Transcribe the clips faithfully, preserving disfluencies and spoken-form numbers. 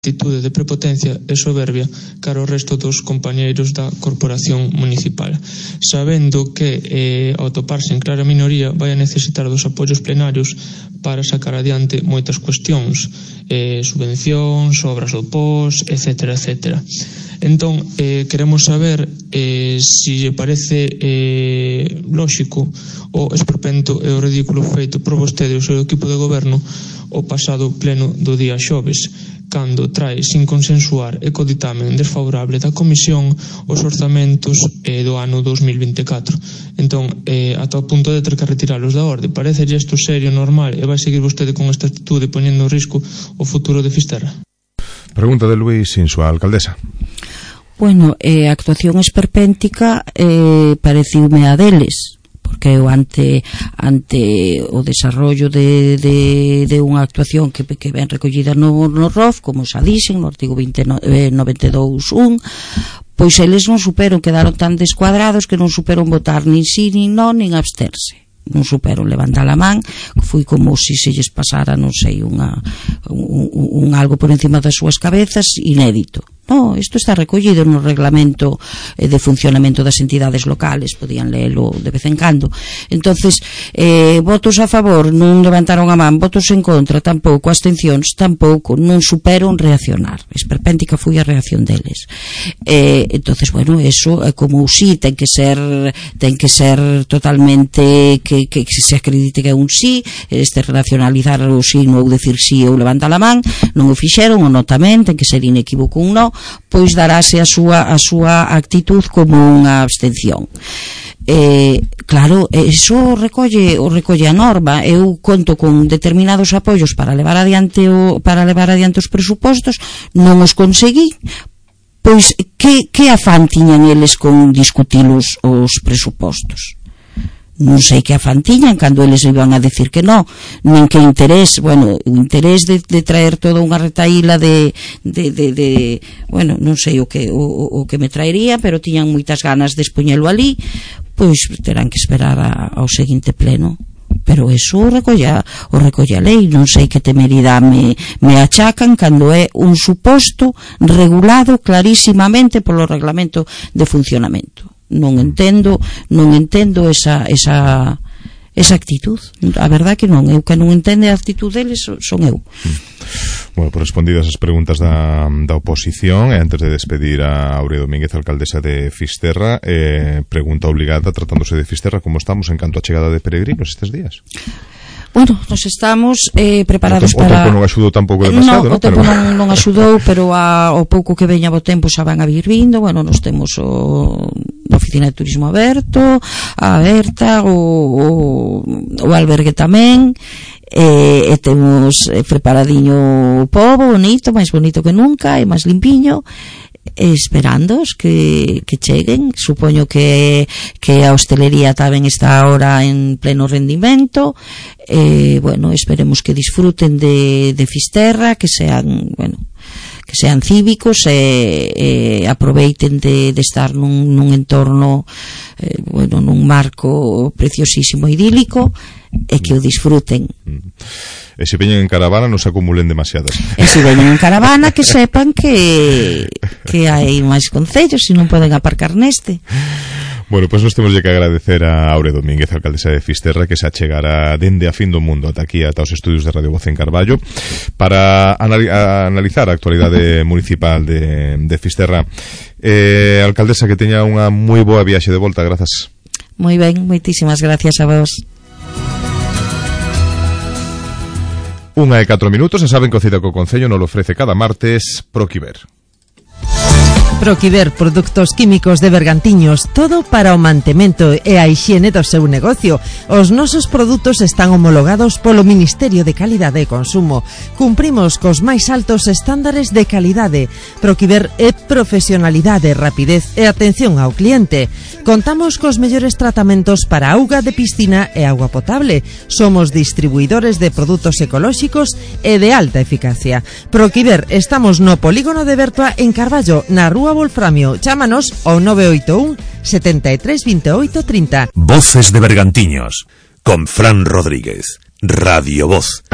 actitude de prepotencia e soberbia cara ao resto dos compañeiros da corporación municipal, sabendo que eh, ao toparse en clara minoría vai a necesitar dos apoios plenarios para sacar adiante moitas cuestións, eh, subvencións, obras do P O S, etcétera, etcétera. Entón, eh, queremos saber eh, si lle parece eh, lóxico o esperpento e o ridículo feito por vostede e o seu equipo de goberno o pasado pleno do día xoves, cando trae sin consensuar e co ditamen desfavorable da Comisión os orzamentos eh, do ano dos mil vinte e catro. Entón, eh, ata o punto de ter que retiralos da orde. Parece isto serio, normal, e vai seguir vostede con esta actitude poñendo en risco o futuro de Fisterra? Pregunta de Luís Insua, alcaldesa. Bueno, eh, a actuación esperpéntica eh, pareciume a deles, porque eu ante ante o desarrollo de, de, de unha actuación que, que ven recollida no, no R O F, como xa dixen, no artigo noventa e dous punto un, pois eles non superon, quedaron tan descuadrados que non superon votar nin sí, nin non, nin absterse. Non superon levantar a man, foi como se se lles pasara, non sei, unha, un, un algo por encima das súas cabezas inédito. No, isto está recollido no reglamento de funcionamento das entidades locales, podían leelo de vez en cando. Entonces, eh, votos a favor, non levantaron a man, votos en contra, tampouco, abstencións, tampouco, non superon reaccionar. Esperpéntica foi a reacción deles. Eh, entonces, bueno, eso, eh, como sí, ten que ser ten que ser totalmente que, que se acredite que é un sí, este racionalizar o sí, non decir sí ou levantar a man, non o fixeron, o no tamén, ten que ser inequívoco un no, pois darase a súa, a súa actitud como unha abstención. Eh, claro, eso recolle, o recolle a norma. Eu conto con determinados apoios para levar adiante o, para levar adiante os presupostos, non os conseguí. Pois que, que afán tiñan eles con discutir os, os presupostos? Non sei que afán tiñan cando eles iban a decir que non, nin que interés, bueno, o interés de, de traer toda unha retaíla de, de, de, de bueno, non sei o que, o, o que me traería, pero tiñan moitas ganas de expoñelo ali, pois terán que esperar a, ao seguinte pleno. Pero eso o recolla, o recolla a lei, non sei que temeridade me, me achacan cando é un suposto regulado clarísimamente polo reglamento de funcionamento. Non entendo, non entendo esa esa esa actitud. A verdade que non, eu que non entende a actitud deles son eu. Bueno, por respondidas as preguntas da, da oposición, e antes de despedir a Aurea Domínguez, alcaldesa de Fisterra, eh, pregunta obligada, tratándose de Fisterra, como estamos en canto a chegada de peregrinos estes días? Bueno, nos estamos eh, preparados o para... O tempo non axudou tampouco demasiado, non? No, o tempo pero... non, non axudou, pero a, o pouco que veña o tempo xa van a vir vindo. Bueno, nos temos o a oficina de turismo aberto, a aberta, o, o, o albergue tamén, e, e temos preparadiño o pobo, bonito, máis bonito que nunca, e máis limpiño, esperándoos que, que cheguen. Supoño que, que a hostelería tamén está ahora en pleno rendimento. Eh, bueno, esperemos que disfruten de, de Fisterra, que sean, bueno, que sean cívicos e, e aproveiten de, de estar nun, nun entorno eh, bueno, nun marco preciosísimo, idílico, e que o disfruten. E se veñen en caravana non se acumulen demasiadas. E se veñen en caravana que sepan que que hai máis concellos e non poden aparcar neste. Bueno, pois pues nos temos que agradecer a Aurea Domínguez, alcaldesa de Fisterra, que se achegara dende a fin do mundo ata aquí, ata os estudios de Radio Voz en Carballo, para anali- a analizar a actualidade municipal de, de Fisterra. Eh, alcaldesa, que teña unha moi boa viaxe de volta, grazas. Moi ben, moitísimas gracias a vos. Unha e catro minutos, e saben que o Cita co Concello nos lo ofrece cada martes Proquiver. Proquiver, produtos químicos de Bergantiños, todo para o mantemento e a hixiene do seu negocio. Os nosos produtos están homologados polo Ministerio de Calidade e Consumo. Cumprimos cos máis altos estándares de calidade. Proquiver é profesionalidade, rapidez e atención ao cliente. Contamos cos mellores tratamentos para auga de piscina e auga potable. Somos distribuidores de produtos ecolóxicos e de alta eficacia. Proquiver, estamos no Polígono de Bertua en Carballo, na Rúa Wolframio. Chámanos ao nove oito un, setenta e tres, veintiocho, treinta. Voces de Bergantiños, con Fran Rodríguez. Radio Voz.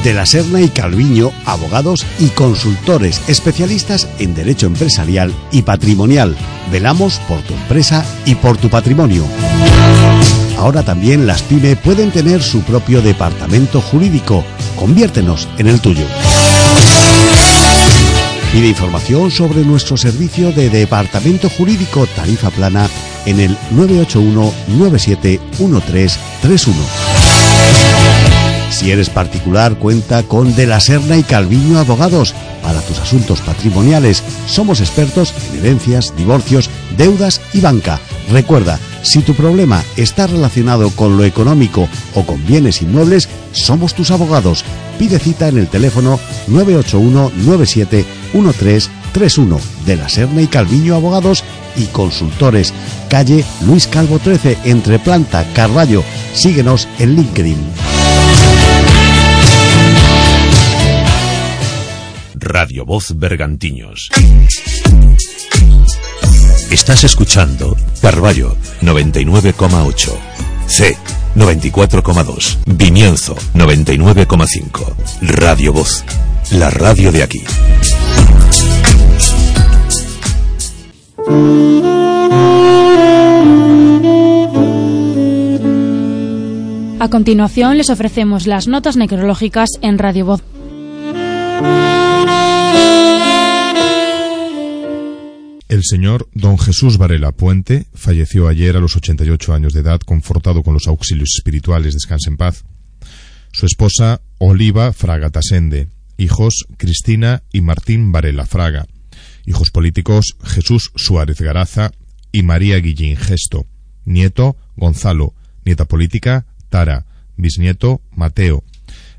De la Serna y Calviño, abogados y consultores especialistas en derecho empresarial y patrimonial. Velamos por tu empresa y por tu patrimonio. Ahora también las pyme pueden tener su propio departamento jurídico. Conviértenos en el tuyo. Pide información sobre nuestro servicio de departamento jurídico tarifa plana en el nueve ocho uno nueve siete uno tres tres uno. Si eres particular, cuenta con De la Serna y Calviño Abogados para tus asuntos patrimoniales. Somos expertos en herencias, divorcios, deudas y banca. Recuerda, si tu problema está relacionado con lo económico o con bienes inmuebles, somos tus abogados. Pide cita en el teléfono nueve ocho uno nueve siete uno tres tres uno. De la Serna y Calviño Abogados y Consultores. Calle Luis Calvo trece, entre Planta, Carballo. Síguenos en LinkedIn. Radio Voz Bergantiños. Estás escuchando Carballo noventa y nueve coma ocho, C noventa y cuatro coma dos, Vimianzo noventa y nueve coma cinco. Radio Voz, la radio de aquí. A continuación les ofrecemos las notas necrológicas en Radio Voz. El señor don Jesús Varela Puente falleció ayer a los ochenta y ocho años de edad, confortado con los auxilios espirituales, descanse en paz. Su esposa, Oliva Fraga Tasende. Hijos, Cristina y Martín Varela Fraga. Hijos políticos, Jesús Suárez Garaza y María Guillín Gesto. Nieto, Gonzalo. Nieta política, Tara. Bisnieto, Mateo.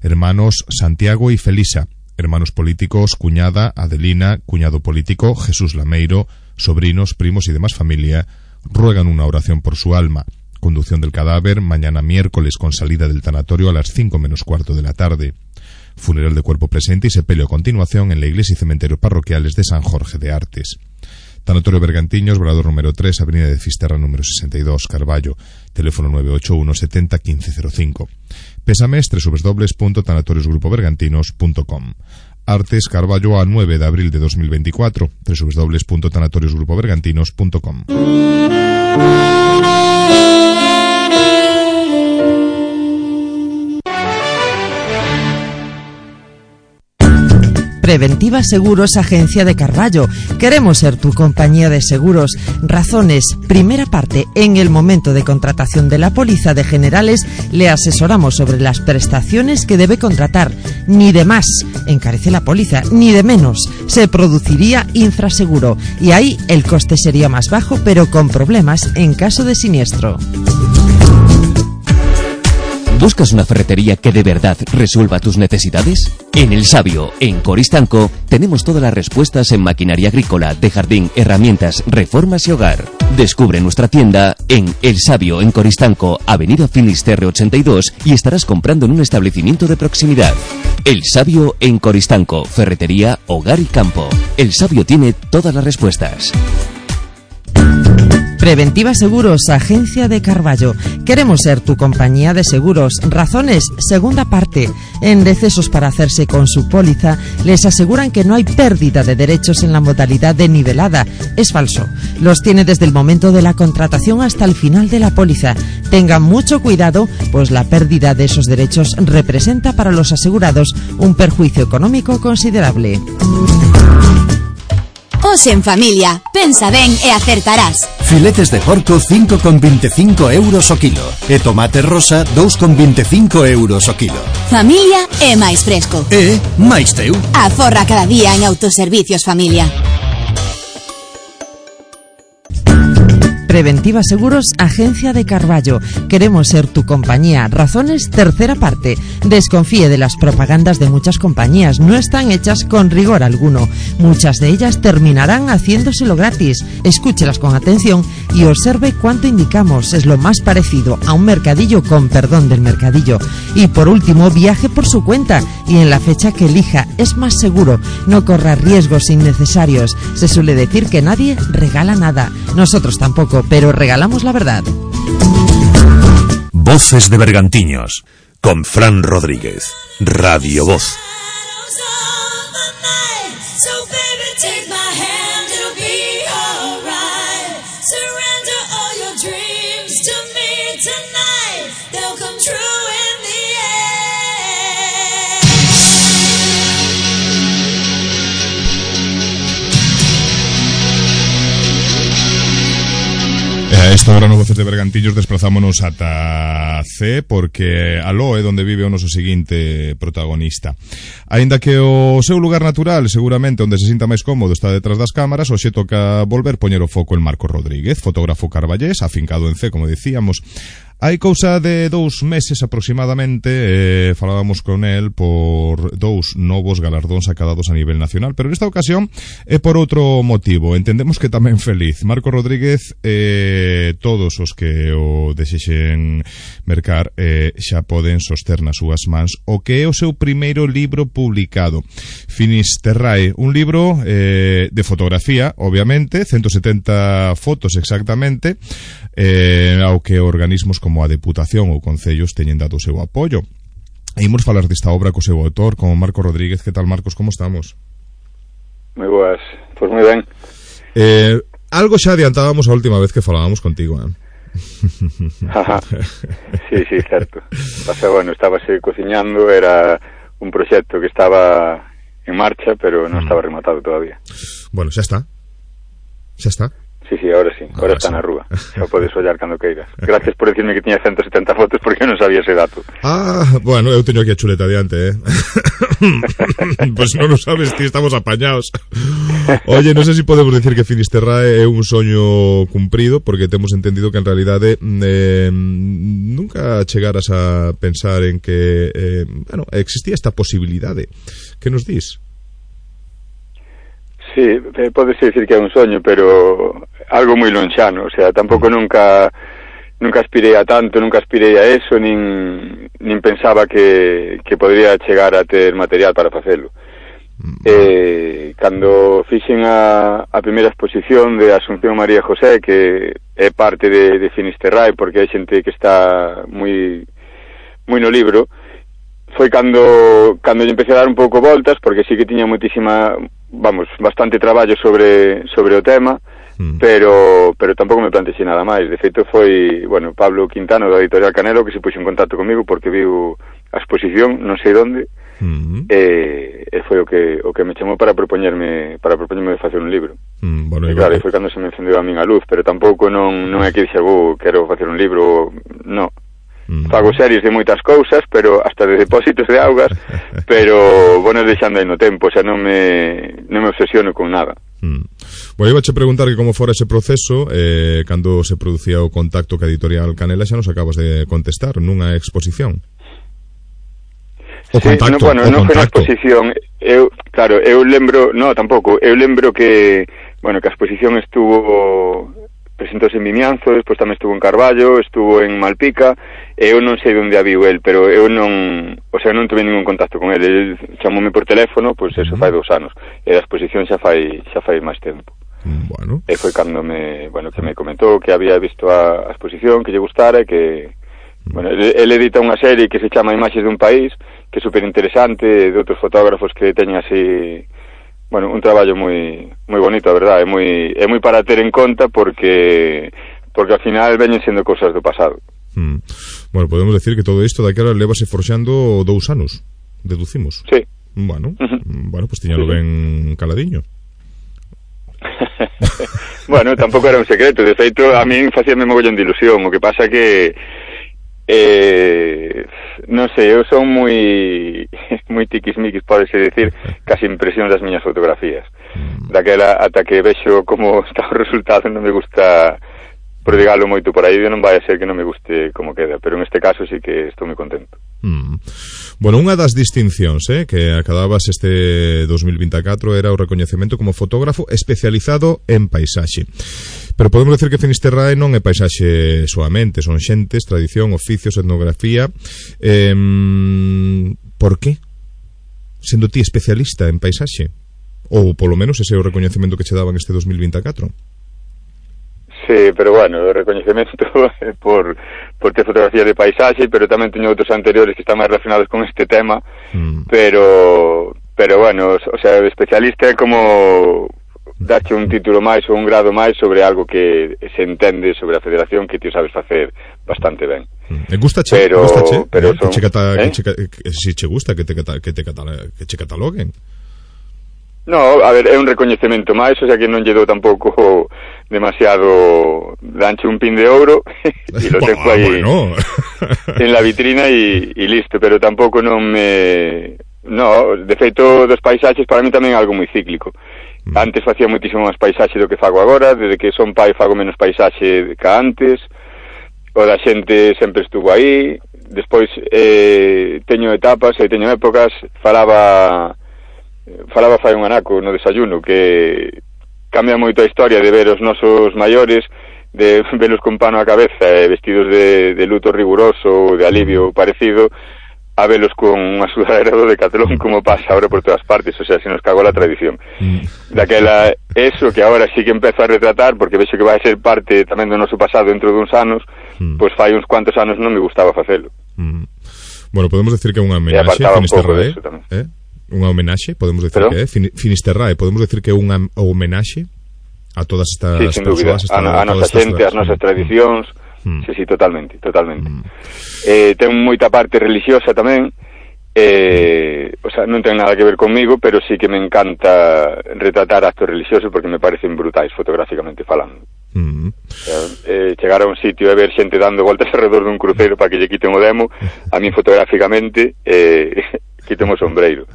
Hermanos, Santiago y Felisa. Hermanos políticos, cuñada, Adelina, cuñado político, Jesús Lameiro, sobrinos, primos y demás familia, ruegan una oración por su alma. Conducción del cadáver, mañana miércoles con salida del tanatorio a las cinco menos cuarto de la tarde. Funeral de cuerpo presente y sepelio a continuación en la iglesia y cementerio parroquiales de San Jorge de Artes. Tanatorio Bergantiños, Velador número tres, Avenida de Fisterra número sesenta y dos, Carballo. Teléfono nueve ocho uno setenta quince cero cinco. Pésames, doble u doble u doble u punto tanatorios grupo bergantinos punto com. Artes, Carballo, a nueve de abril de dos mil veinticuatro, doble u doble u doble u punto tanatorios grupo bergantinos punto com. Preventiva Seguros, Agencia de Carballo. Queremos ser tu compañía de seguros. Razones. Primera parte. En el momento de contratación de la póliza de generales, le asesoramos sobre las prestaciones que debe contratar. Ni de más encarece la póliza, ni de menos. Se produciría infraseguro. Y ahí el coste sería más bajo, pero con problemas en caso de siniestro. ¿Buscas una ferretería que de verdad resuelva tus necesidades? En El Sabio, en Coristanco, tenemos todas las respuestas en maquinaria agrícola, de jardín, herramientas, reformas y hogar. Descubre nuestra tienda en El Sabio, en Coristanco, Avenida Finisterre ochenta y dos, y estarás comprando en un establecimiento de proximidad. El Sabio, en Coristanco, ferretería, hogar y campo. El Sabio tiene todas las respuestas. Preventiva Seguros, Agencia de Carballo. Queremos ser tu compañía de seguros. Razones, segunda parte. En decesos para hacerse con su póliza, les aseguran que no hay pérdida de derechos en la modalidad de nivelada. Es falso. Los tiene desde el momento de la contratación hasta el final de la póliza. Tengan mucho cuidado, pues la pérdida de esos derechos representa para los asegurados un perjuicio económico considerable. Hoxe en familia, pensa ben e acertarás. Filetes de porco cinco con veinticinco euros o kilo e tomate rosa dos con veinticinco euros o kilo. Familia é máis fresco. E máis teu. Aforra cada día en Autoservicios Familia. Preventiva Seguros, Agencia de Carballo. Queremos ser tu compañía. Razones, tercera parte. Desconfíe de las propagandas de muchas compañías. No están hechas con rigor alguno. Muchas de ellas terminarán haciéndoselo gratis. Escúchelas con atención y observe cuánto indicamos. Es lo más parecido a un mercadillo, con perdón del mercadillo. Y por último, viaje por su cuenta y en la fecha que elija. Es más seguro. No corra riesgos innecesarios. Se suele decir que nadie regala nada. Nosotros tampoco, pero regalamos la verdad. Voces de Bergantiños, con Fran Rodríguez. Radio Voz. A esta hora no Voces de Bergantiños desplazámonos ata C, porque aló é onde vive o noso seguinte protagonista. Aínda que o seu lugar natural, seguramente onde se sinta máis cómodo, está detrás das cámaras, hoxe toca volver poñer o foco en Marcos Rodríguez, fotógrafo carballés, afincado en C, como decíamos. Hai cousa de dous meses aproximadamente, eh, falábamos con el por dous novos galardóns acadados a nivel nacional, pero nesta ocasión é por outro motivo, entendemos que tamén feliz. Marcos Rodríguez, eh, todos os que o desexen mercar eh, xa poden soster nas súas mans o que é o seu primeiro libro publicado, Finisterrae, un libro eh, de fotografía, obviamente, ciento setenta fotos exactamente, eh, ao que organismos como a Deputación ou Concellos teñen dado o seu apoio. E imos falar desta obra co seu autor, como Marcos Rodríguez. Que tal, Marcos, como estamos? Moi boas, pois moi ben. Eh, algo xa adiantábamos a última vez que falábamos contigo, eh? Sí, sí, certo. Pasa, bueno, estábase cociñando, era un proxecto que estaba en marcha, pero non estaba rematado todavía. Bueno, xa está. Xa está. Sí, sí, ahora sí, ahora, ahora está sí. Na rúa. Xa podes ollar cando queiras. Gracias por decirme que tiña ciento setenta fotos, porque eu non sabía ese dato. Ah, bueno, eu teño aquí a chuleta adiante, eh. Pois pues non o sabes, ti estamos apañados. Oye, non sei se podemos decir que Finisterrae é un soño cumprido, porque temos entendido que en realidade eh, nunca chegaras a pensar en que eh, bueno, existía esta posibilidade. Que nos dís? Sí, podese decir que é un soño, pero algo moi lonxano, o sea, tampouco nunca nunca aspirei a tanto, nunca aspirei a eso, nin, nin pensaba que, que podría chegar a ter material para facelo. Mm. Eh, cando fixen a, a primeira exposición de Asunción María José, que é parte de, de Finisterrae, porque hai xente que está moi moi no libro, foi cando cando lle empecé a dar un pouco voltas, porque sí que tiña moitísima, vamos, bastante traballo sobre sobre o tema, mm. pero pero tampouco me plantexei nada máis. De feito foi, bueno, Pablo Quintano da Editorial Canelo que se puxo en contacto comigo porque viu a exposición, non sei onde, mm. e, e foi o que o que me chamou para propoñerme para propoñerme de facer un libro. Mm, bueno, e claro, foi cando se me encendeu a min a luz, pero tampouco non non é que dixe, oh, quero facer un libro, no. Fago series de moitas cousas, pero hasta de depósitos de augas, pero bueno, deixando aí no tempo, o sea, non me non me obsesiono con nada. Mm. Bueno, iba a preguntar que como fora ese proceso, eh, cando se producía o contacto ca Editorial Canela, xa nos acabas de contestar, nunha exposición. O sí, contacto, no, bueno, o non foi unha contacto. exposición, eu, claro, eu lembro, no, tampouco, eu lembro que, bueno, que a exposición estuvo presentouse en Vimianzo, despois tamén estuvo en Carballo, estuvo en Malpica, e eu non sei onde a viu el, pero eu non, o sea, non tuve ningún contacto con el, el chamoume por teléfono, pois pues eso fai dous anos, e a exposición xa fai xa fai máis tempo. Bueno. E foi cando me, bueno, que me comentou que había visto a, a exposición, que lle gustara, e que, bueno, el, el edita unha serie que se chama Imaxes dun País, que é super interesante, de outros fotógrafos que teñen así, bueno, un traballo moi moi bonito, a verdade, é moi é moi para ter en conta porque porque ao final veñen sendo cousas do pasado. Mm. Bueno, podemos decir que todo isto daquela levase forxando dous anos, deducimos. Sí. Bueno, uh-huh. bueno, pues tiñalo sí, ben caladiño. Bueno, tampouco era un secreto, de feito a min facíame mogollón de ilusión, o que pasa que eh, non sei, eu son moi moi tiquismiquis, podese decir, casi impresión das miñas fotografías. Daquela ata que vexo como está o resultado, non me gusta prodigalo moito por aí, non vai a ser que non me guste como queda, pero en este caso sí que estou moi contento. Mm. Bueno, unha das distincións eh, que acababas este dos mil vinte e catro era o recoñecemento como fotógrafo especializado en paisaxe. Pero podemos decir que Finisterrae non é paisaxe soamente, son xentes, tradición, oficios, etnografía. Eh, por qué? Sendo ti especialista en paisaxe? Ou polo menos ese é o recoñecemento que che daban este dos mil vinte e catro? Sí, pero bueno, o recoñecemento por, por ter fotografías de paisaxe, pero tamén teño outros anteriores que están máis relacionados con este tema, mm. pero pero bueno, o sea, o especialista é como darche un título máis ou un grado máis sobre algo que se entende sobre a federación que ti sabes facer bastante ben. Me gusta che, pero, gusta che, pero eh, son, que che cata, ¿eh? que che, que, si che gusta que te cata, que te cata, que che cataloguen. No, a ver, é un recoñecemento máis, o sea que non lle dou tampouco demasiado, danche un pin de ouro e lo tengo aí bueno. en la vitrina e, e listo, pero tampouco non me... No, de feito dos paisaxes para mí tamén é algo moi cíclico. Mm. Antes facía moitísimo máis paisaxe do que fago agora, desde que son pai fago menos paisaxe que antes, o da xente sempre estuvo aí, despois eh, teño etapas e teño épocas, falaba... falaba fai un anaco no desayuno que cambia moito a historia de ver os nosos maiores, de velos con pano á cabeza e vestidos de, de luto riguroso, de alivio parecido, a velos con unha sudadera do Decathlon como pasa ahora por todas partes, o sea, se nos cagou la tradición. Daquela, eso que agora sí que empezo a retratar, porque vexo que vai ser parte tamén do noso pasado dentro duns anos, mm. pois fai uns cuantos anos non me gustaba facelo. Mm. Bueno, podemos decir que é unha homenaxe a Finisterrae, eh? Unha homenaxe, podemos decir ¿Pero? que é Fin Finisterrae, podemos decir que é unha homenaxe a todas estas sí, sin persoas, dúbida, a, a nosa xente, as nosas tradicións, mm. sí, sí, totalmente, totalmente. Mm. Eh, ten moita parte religiosa tamén, eh, o sea, non ten nada que ver conmigo, pero sí que me encanta retratar actos religiosos porque me parecen brutais fotográficamente falando. Mm. O sea, eh, chegar a un sitio e ver xente dando voltas alrededor dun cruceiro para que lle quiten o demo, a mí fotográficamente eh, quiten o sombreiro,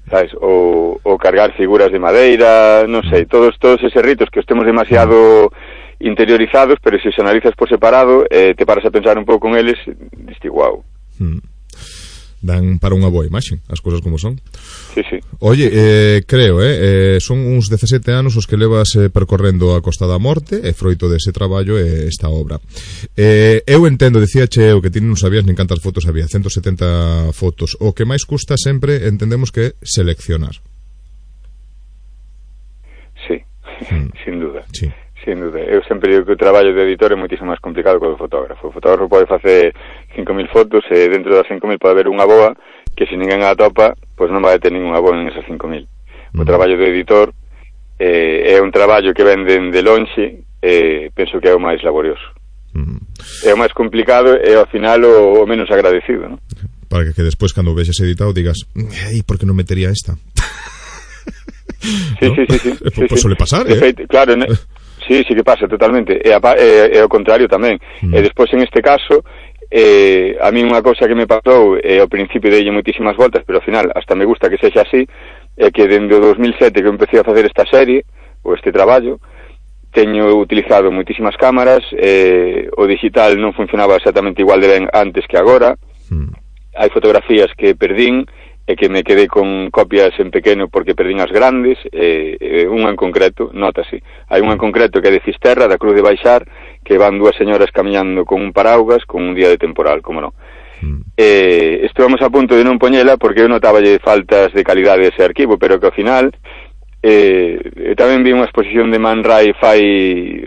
sabes? O, o cargar figuras de madeira, non sei, todos todos eses ritos que os temos demasiado interiorizados, pero se os analizas por separado, eh, te paras a pensar un pouco con eles, diste guau. Mm. Dan para unha boa imaxe, as cousas como son. Sí, sí. Oye, eh, creo, eh, eh, son uns dezasete anos os que levas eh, percorrendo a Costa da Morte, e froito dese traballo e esta obra. Eh, eu entendo, dicía che eu, que ti non sabías nin cantas fotos había, ciento setenta fotos. O que máis custa sempre entendemos que é seleccionar. Sí, mm. sin duda. Sí. Sin duda, eu sempre digo que o traballo de editor é moitísimo máis complicado que o do fotógrafo. O fotógrafo pode facer cinco mil fotos e dentro das cinco mil pode haber unha boa que se ninguén a topa, pois non vai ter ninguna boa en esas cinco mil. Mm. O traballo do editor eh, é un traballo que venden de lonxe e eh, penso que é o máis laborioso. Mm. É o máis complicado e ao final o, o menos agradecido, ¿no? Para que, que despois cando vexas editado digas, ei, por que non metería esta? Sí, ¿no? sí, sí, sí, eh, sí, pues sí. suele pasar, eh? Feito, claro, ne... Sí, sí que pasa totalmente, e, a, e, e ao contrario tamén. Mm. E despois en este caso, eh, a mí unha cousa que me pasou, e ao principio dei moitísimas voltas, pero ao final hasta me gusta que sexa así, é que dende o dos mil sete que eu empecé a facer esta serie, ou este traballo, teño utilizado moitísimas cámaras, eh, o digital non funcionaba exactamente igual de ben antes que agora, mm. hai fotografías que perdín, e que me quedei con copias en pequeno porque perdín as grandes, e, e unha en concreto, notase, hai unha en concreto que é de Fisterra, da Cruz de Baixar, que van dúas señoras camiñando con un paraugas con un día de temporal, como non. Mm. Eh, estuvamos a punto de non poñela porque eu notaballe faltas de calidade ese arquivo, pero que ao final eh, tamén vi unha exposición de Man Ray fai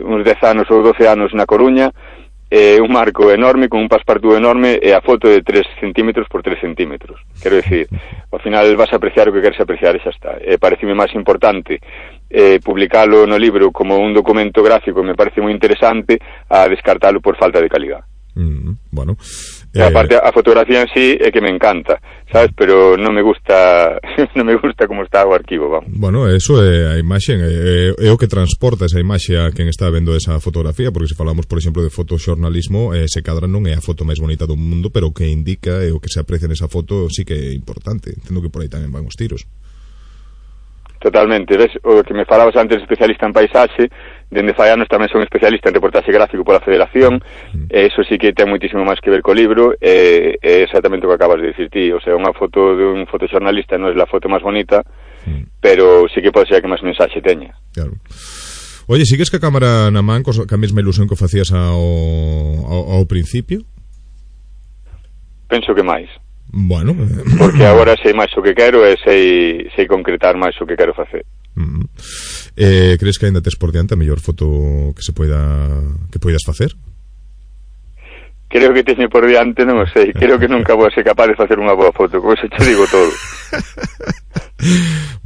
uns dez anos ou doce anos na Coruña, eh, un marco enorme con un passepartout enorme e a foto de tres centímetros por tres centímetros. Quero dicir, ao final vas a apreciar o que queres apreciar e xa está. Eh, pareceme máis importante eh, publicalo no libro como un documento gráfico, me parece moi interesante, a descartalo por falta de calidad. Mm, bueno, eh... aparte a fotografía en sí é que me encanta, sabes, pero non me gusta non me gusta como está o arquivo, vamos. Bueno, eso é a imaxe, é, é o que transporta esa imaxe a quen está vendo esa fotografía, porque se falamos, por exemplo, de fotoxornalismo, eh, se cadra non é a foto máis bonita do mundo, pero o que indica e o que se aprecia nesa foto sí que é importante. Entendo que por aí tamén van os tiros. Totalmente, ves, o que me falabas antes, especialista en paisaxe, dende fai anos tamén son especialista en reportaxe gráfico pola Federación, mm. e iso sí que ten moitísimo máis que ver co libro, e é exactamente o que acabas de dicir ti, o sea, unha foto de un fotoxornalista non é a foto máis bonita, mm. pero sí que pode ser a que máis mensaxe teña. Claro. Oye, sigues que a cámara na man cos, ca mesma ilusión que facías ao, ao, ao principio? Penso que máis. Bueno, porque agora sei máis o que quero e sei, sei concretar máis o que quero facer. Mm. Eh, crees que ainda tes por diante a mellor foto que se poida que poidas facer? Creo que teño por diante, non o sei. Creo que nunca vou ser capaz de facer unha boa foto. Con eso te digo todo.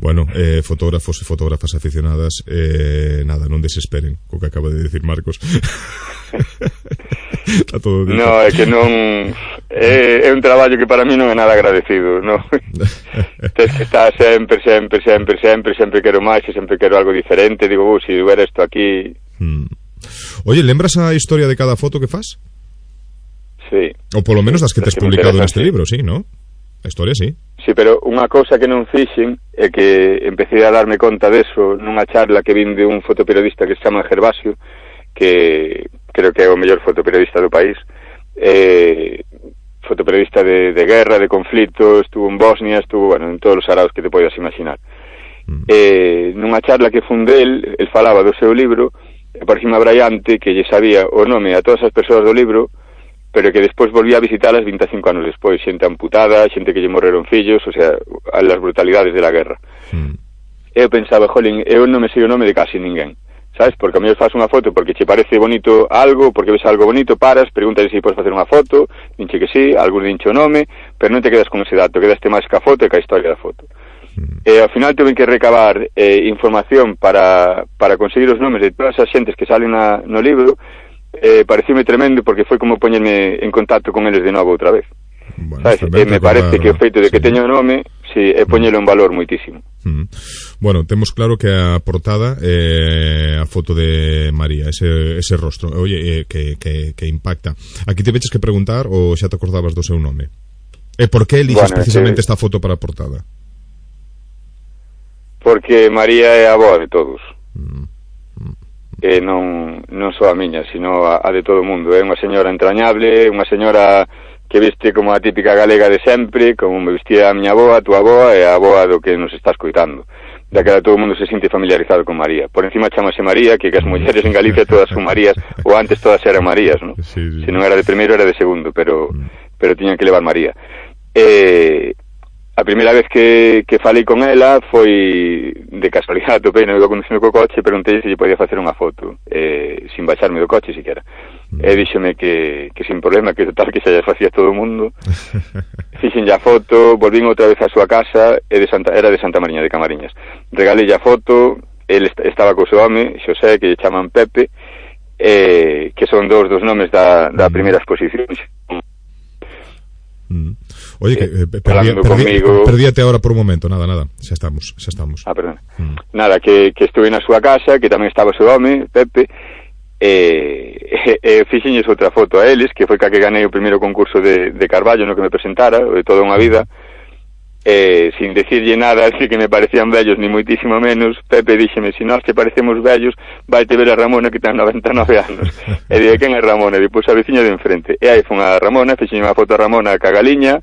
Bueno, eh, fotógrafos e fotógrafas aficionadas, eh, nada, non desesperen co que acaba de decir Marcos. Está todo dito. No, é que non é, é un traballo que para mí non é nada agradecido, no. Tens que estar sempre, sempre, sempre, sempre, sempre quero máis e sempre quero algo diferente. Digo, uh, se si hubiera isto aquí. Hmm. Oye, lembras a historia de cada foto que fas? Sí. Ou polo menos das que tes que publicado neste libro, sí, ¿no? A historia, sí. Sí, pero unha cousa que non fixen é que empecé a darme conta deso nunha charla que vin de un fotoperiodista que se chama Gervasio, que creo que é o mellor fotoperiodista do país, eh, fotoperiodista de, de guerra, de conflito, estuvo en Bosnia, estuvo, bueno, en todos os araos que te podes imaginar. Mm. Eh, nunha charla que fun del, el falaba do seu libro, e parecime abraiante que lle sabía o nome a todas as persoas do libro, pero que despois volvía a visitarlas vinte e cinco anos despois, xente amputada, xente que lle morreron fillos, o sea, as brutalidades de la guerra. Mm. Eu pensaba, jolín, eu non me sei o nome de casi ninguén, sabes? Porque a mellor faz unha foto porque che parece bonito algo, porque ves algo bonito, paras, preguntas se podes facer unha foto, dinche que sí, algún dinche o nome, pero non te quedas con ese dato, quedaste máis ca foto e ca historia da foto. Mm. E ao final tuve que recabar eh, información para, para conseguir os nomes de todas as xentes que salen na, no libro. Eh, parecime tremendo porque foi como poñerme en contacto con eles de novo outra vez. Bueno, sabes? E me parece que o feito de que sí. teño o nome si, é poñelo en valor moitísimo. Mm. Bueno, temos claro que a portada é eh, a foto de María, ese, ese rostro, oye, eh, que, que, que impacta. Aquí te veches que preguntar ou xa te acordabas do seu nome? E por que eliges bueno, precisamente ese... esta foto para a portada? Porque María é a avó de todos. Mm. E non, non só a miña, sino a, a de todo o mundo. É unha señora entrañable, unha señora que viste como a típica galega de sempre, como me vestía a miña aboa, a tua aboa e a aboa do que nos está escoitando. Daquela todo o mundo se sinte familiarizado con María. Por encima chamase María, que as mulleres en Galicia todas son Marías, ou antes todas eran Marías, ¿no? Sí, sí. Se non era de primeiro era de segundo, pero, pero tiñan que levar María. E... A primeira vez que, que falei con ela foi de casualidade, topei no iba conducindo co coche, preguntei se lle podía facer unha foto, eh, sin baixarme do coche siquera. Mm. E díxome que, que sin problema, que total que xa lle facía todo o mundo. Fixen a foto, volvín outra vez á súa casa, e de Santa, era de Santa Mariña de Camariñas. Regalei a foto, el est estaba co seu home, Xosé, que lle chaman Pepe, eh, que son dous dos nomes da, da primeira exposición. Mm. Oye, que eh, perdía, perdía, perdíate ahora por un momento, nada, nada, xa estamos, xa estamos. Ah, perdón. Mm. Nada, que, que estuve na súa casa, que tamén estaba o seu home, Pepe, e, e, e fixenlles outra foto a eles, que foi ca que ganei o primeiro concurso de, de Carballo, no que me presentara, de toda unha vida, e sin decirlle nada, así que me parecían vellos, ni moitísimo menos. Pepe díxeme, se nós te parecemos vellos, vai te ver a Ramona que ten noventa e nove anos. E dije, quen é Ramona? E depois a veciña de enfrente. E aí foi a Ramona, fixen unha foto a Ramona ca galiña,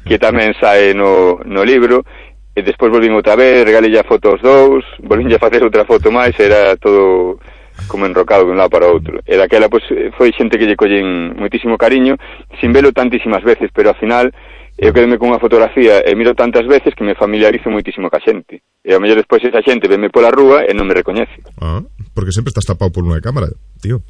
que tamén sae no, no libro, e despois volvín outra vez, regalei a foto aos dous, volvín a facer outra foto máis, era todo como enrocado de un lado para outro. E daquela, pois, foi xente que lle collen moitísimo cariño, sin velo tantísimas veces, pero ao final eu quedeme con unha fotografía e miro tantas veces que me familiarizo moitísimo ca xente. E ao mellor despois esa xente veme pola rúa e non me recoñece. Ah, porque sempre estás tapado por unha cámara, tío.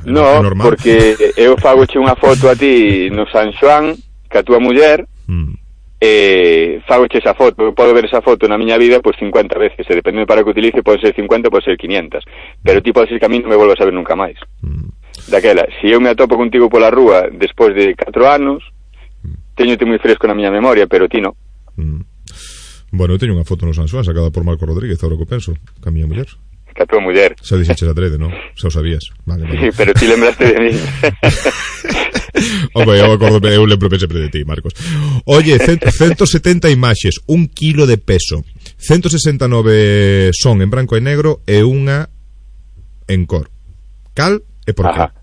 No, porque eu fagoche unha foto a ti no San Xoán, ca túa muller, mm. e fagoche esa foto. Eu podo ver esa foto na miña vida pois cincuenta veces, e dependendo para que utilice, pode ser cincuenta, pode ser quinientas. Pero ti pode ser que a mí non me volvas a ver nunca máis. Mm. Daquela, se eu me atopo contigo pola rúa despois de catro anos, teñote moi fresco na miña memoria, pero ti non. Mm. Bueno, eu teño unha foto no San Xoán sacada por Marco Rodríguez, agora que penso, ca miña muller. Ca tua muller. Xa dixeches adrede, non? Xa o sabías. Vale, vale. Sí, pero ti lembraste de mí. Oye, eu acordo, eu lembro sempre de ti, Marcos. Oye, ciento setenta imaxes, un kilo de peso, ciento sesenta e nove son en branco e negro e unha en cor. Cal e por Ajá. que?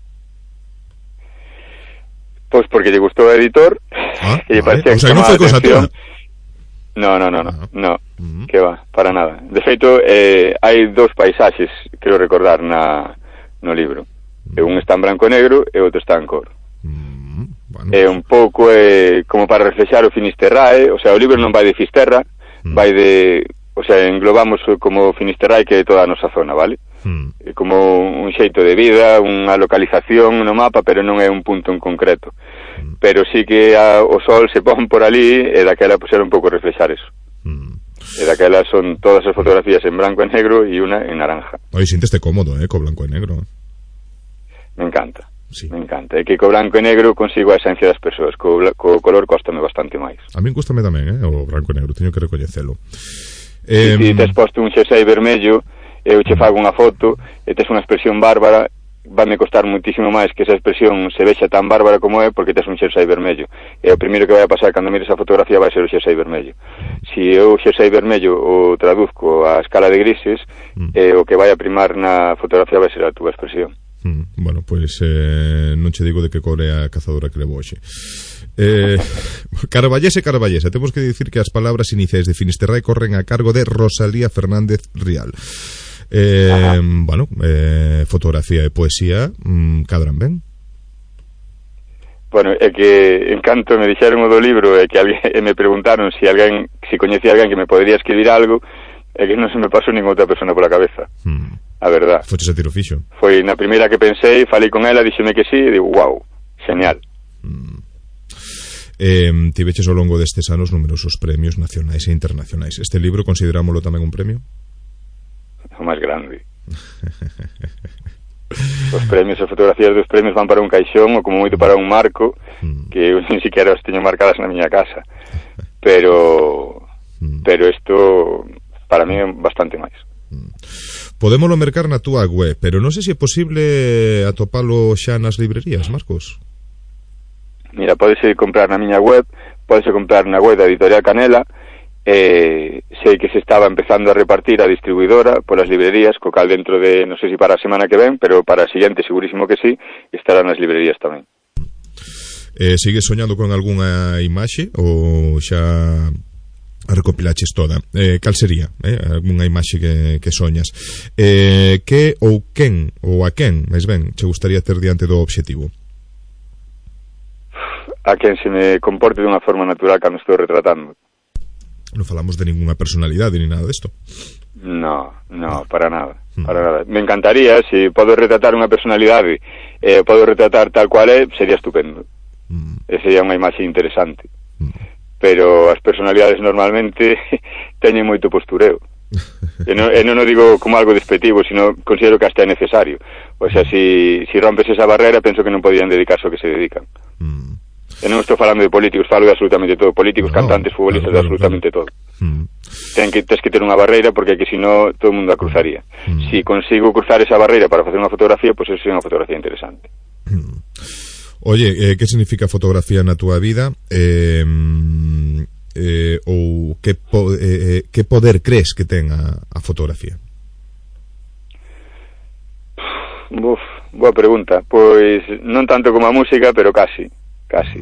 Pois porque lle gustou o editor, ah, e lle vale. parecía o sea, que non foi cosa túa. No, no, no, no, ah. no, mm. que va, para nada. De feito, eh, hai dous paisaxes, quero recordar, na, no libro. Mm. Un está en branco e negro e outro está en cor. Mm. Bueno. É un pouco eh, como para reflexar o Finisterrae, o sea, o libro non vai de Fisterra, mm. vai de o sea, englobamos como Finisterrai que é toda a nosa zona, vale? Hmm. É como un xeito de vida, unha localización no mapa, pero non é un punto en concreto. Hmm. Pero sí que a, o sol se pon por ali e daquela pues, era un pouco reflexar eso. Hmm. E daquela son todas as fotografías en branco e negro e unha en naranja. Oi, sinteste cómodo, eh, co blanco e negro. Me encanta. Sí. Me encanta, é que co branco e negro consigo a esencia das persoas, co, co color cóstame bastante máis. A min cóstame tamén, eh, o branco e negro, teño que recoñecelo. Eh, se si tes posto un xersei vermello, eu che fago unha foto e tes unha expresión bárbara, vai me costar muitísimo máis que esa expresión se vexa tan bárbara como é porque tes un xersei vermello. E o primeiro que vai a pasar cando mires a fotografía vai ser o xersei vermello. Se eu o xersei vermello o traduzco a escala de grises, mm. eh, o que vai a primar na fotografía vai ser a túa expresión. Mm, bueno, pois pues, eh, non che digo de que core a cazadora que levo hoxe. Eh, Carballese, Carballese, temos que dicir que as palabras iniciais de Finisterrai corren a cargo de Rosalía Fernández Rial. Eh, bueno, eh, fotografía e poesía mm, cadran ben? Bueno, é que en canto me dixeron o do libro e que alguén, e me preguntaron se si alguén, se si coñecía alguén que me podería escribir algo, é que non se me pasou ninguna outra persona pola cabeza. Hmm. A verdad. Foches a tiro fixo. Foi na primeira que pensei, falei con ela, díxeme que sí, e digo, wow, genial. Hmm. Eh, tiveches ao longo destes anos numerosos premios nacionais e internacionais. Este libro considerámoslo tamén un premio? O máis grande. Os premios e fotografías dos premios van para un caixón ou como moito para un marco mm. que eu nin siquiera os teño marcadas na miña casa, pero mm. pero isto para mí é bastante máis. mm. Podémolo mercar na túa web, pero non sei se é posible atopalo xa nas librerías, Marcos. Mira, podese comprar na miña web, podese comprar na web da Editorial Canela. Eh, sei que se estaba empezando a repartir a distribuidora polas librerías, co cal dentro de, non sei se para a semana que ven, pero para a siguiente segurísimo que sí, estará nas librerías tamén. Eh, sigues soñando con algunha imaxe ou xa a recopilaches toda? Eh, cal sería? Eh? Algunha imaxe que, que soñas? Eh, que ou quen, ou a quen, máis ben, che gustaría ter diante do obxectivo? A quen se me comporte dunha forma natural cando estou retratando. Non falamos de ninguna personalidade ni nada desto. No, no, para nada, para nada. Me encantaría, se si podo retratar unha personalidade, eh, podo retratar tal cual é, sería estupendo. Mm. E sería unha imaxe interesante. Mm. Pero as personalidades normalmente teñen moito postureo. E non, e non o digo como algo despectivo, sino considero que hasta é necesario. O sea, si, si rompes esa barrera, penso que non podían dedicarse ao que se dedican. Mm. E non estou falando de políticos, falo de absolutamente todo. Políticos, no, cantantes, futbolistas, claro, claro, de absolutamente claro. todo. Mm. Ten que, tens que ter unha barreira porque que si no todo o mundo a cruzaría. Mm. Si consigo cruzar esa barreira para facer unha fotografía, pois pues eso é unha fotografía interesante. Mm. Oye, eh, que significa fotografía na túa vida? Eh, eh, ou que, po, eh, que poder crees que ten a, a fotografía? Uf, boa pregunta. Pois non tanto como a música, pero casi. Casi.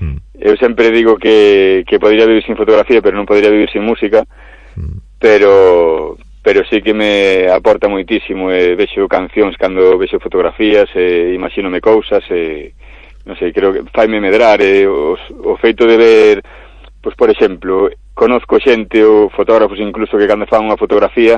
Mm. Eu sempre digo que, que podría vivir sin fotografía, pero non podría vivir sin música. Mm. Pero pero sí que me aporta moitísimo. E vexo cancións cando vexo fotografías, e imagínome cousas, e non sei, creo que faime medrar. E os, o feito de ver, pois por exemplo, conozco xente ou fotógrafos incluso que cando fan unha fotografía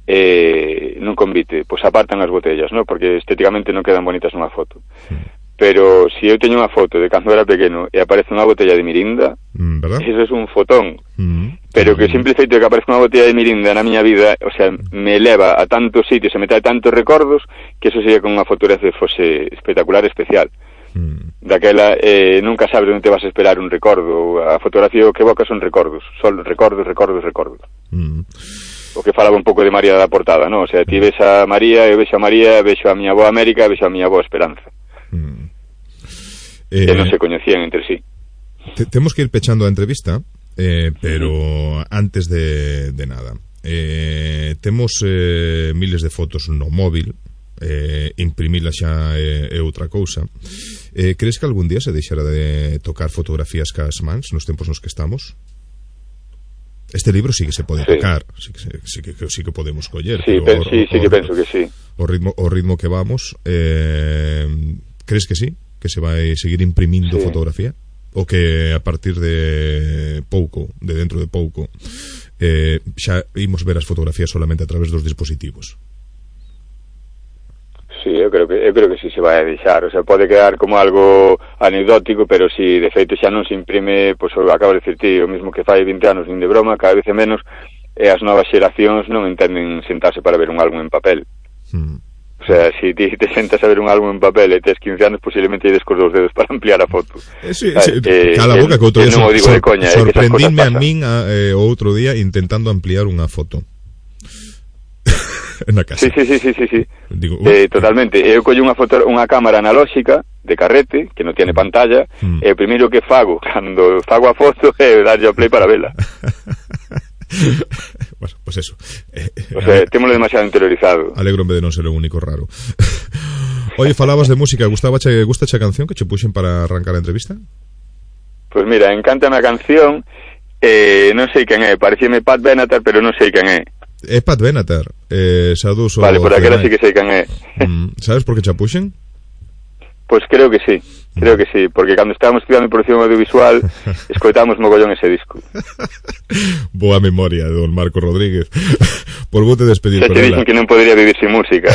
eh, nun convite, pois apartan as botellas, ¿no? Porque estéticamente non quedan bonitas nunha foto. Mm. Pero se si eu teño unha foto de cando era pequeno e aparece unha botella de mirinda, mm, eso é un fotón. Mm, pero que o simple feito de que aparece unha botella de mirinda na miña vida, o sea, me eleva a tantos sitios e me trae tantos recordos que eso sería con unha fotografía fose espectacular, especial. Mm. Daquela eh, nunca sabes onde te vas a esperar un recordo. A fotografía o que evoca son recordos, son recordos, recordos, recordos. Mm. O que falaba un pouco de María da portada, ¿no? O sea, ti ves a María, eu vexo a María, vexo a miña boa América, vexo a miña boa Esperanza. Mm. Eh, que non se coñecían entre sí. Te, temos que ir pechando a entrevista, eh, pero uh-huh. antes de, de nada, eh, temos eh, miles de fotos no móvil, eh, imprimila xa é, é outra cousa. Eh, crees que algún día se deixará de tocar fotografías cas mans nos tempos nos que estamos? Este libro sí que se pode sí. tocar, sí que, sí, que, sí que podemos coller. Sí, pero, sí, o, sí que o, penso que sí. O ritmo, o ritmo que vamos, eh, crees que sí? Que se vai seguir imprimindo sí. fotografía? o que a partir de pouco, de dentro de pouco, eh, xa imos ver as fotografías solamente a través dos dispositivos. Sí, eu creo que eu creo que si se vai a deixar, o sea, pode quedar como algo anecdótico, pero si de feito xa non se imprime, pois pues, acabo de dicir ti, o mesmo que fai vinte anos, nin de broma, cada vez é menos, e as novas xeracións non entenden sentarse para ver un álbum en papel. Hmm. O sea, si ti te sentas a ver un álbum en papel e tes quince anos, posiblemente ides cos dous dedos para ampliar a foto. Eh, sí, sí, eh, cala a boca que outro día non o digo de coña, sorprendíme a min a, eh, o outro día intentando ampliar unha foto. Na casa. Sí, sí, sí, sí, sí, sí. Digo, uh, eh, totalmente. Eu collo unha foto, unha cámara analóxica de carrete que non tiene pantalla, mm. e o primeiro que fago cando fago a foto é darlle ao play para vela. Bueno, pues eso. Eh, o sea, témolo demasiado interiorizado. Alégrome de non ser o único raro. Oye, falabas de música, gustaba che, gusta che canción que che puxen para arrancar a entrevista? Pues mira, encántame a canción, eh, non sei quen é, parecíame Pat Benatar, pero non sei quen é. É Pat Benatar, eh, Sadus o... Vale, por aquela sí que sei quen é. Mm, sabes por que che puxen? Pois pues creo que sí, creo que sí, porque cando estábamos estudiando producción audiovisual escoitamos mogollón ese disco. Boa memoria de don Marco Rodríguez. Por vos te despedir con ela. Se dicen que non podría vivir sin música.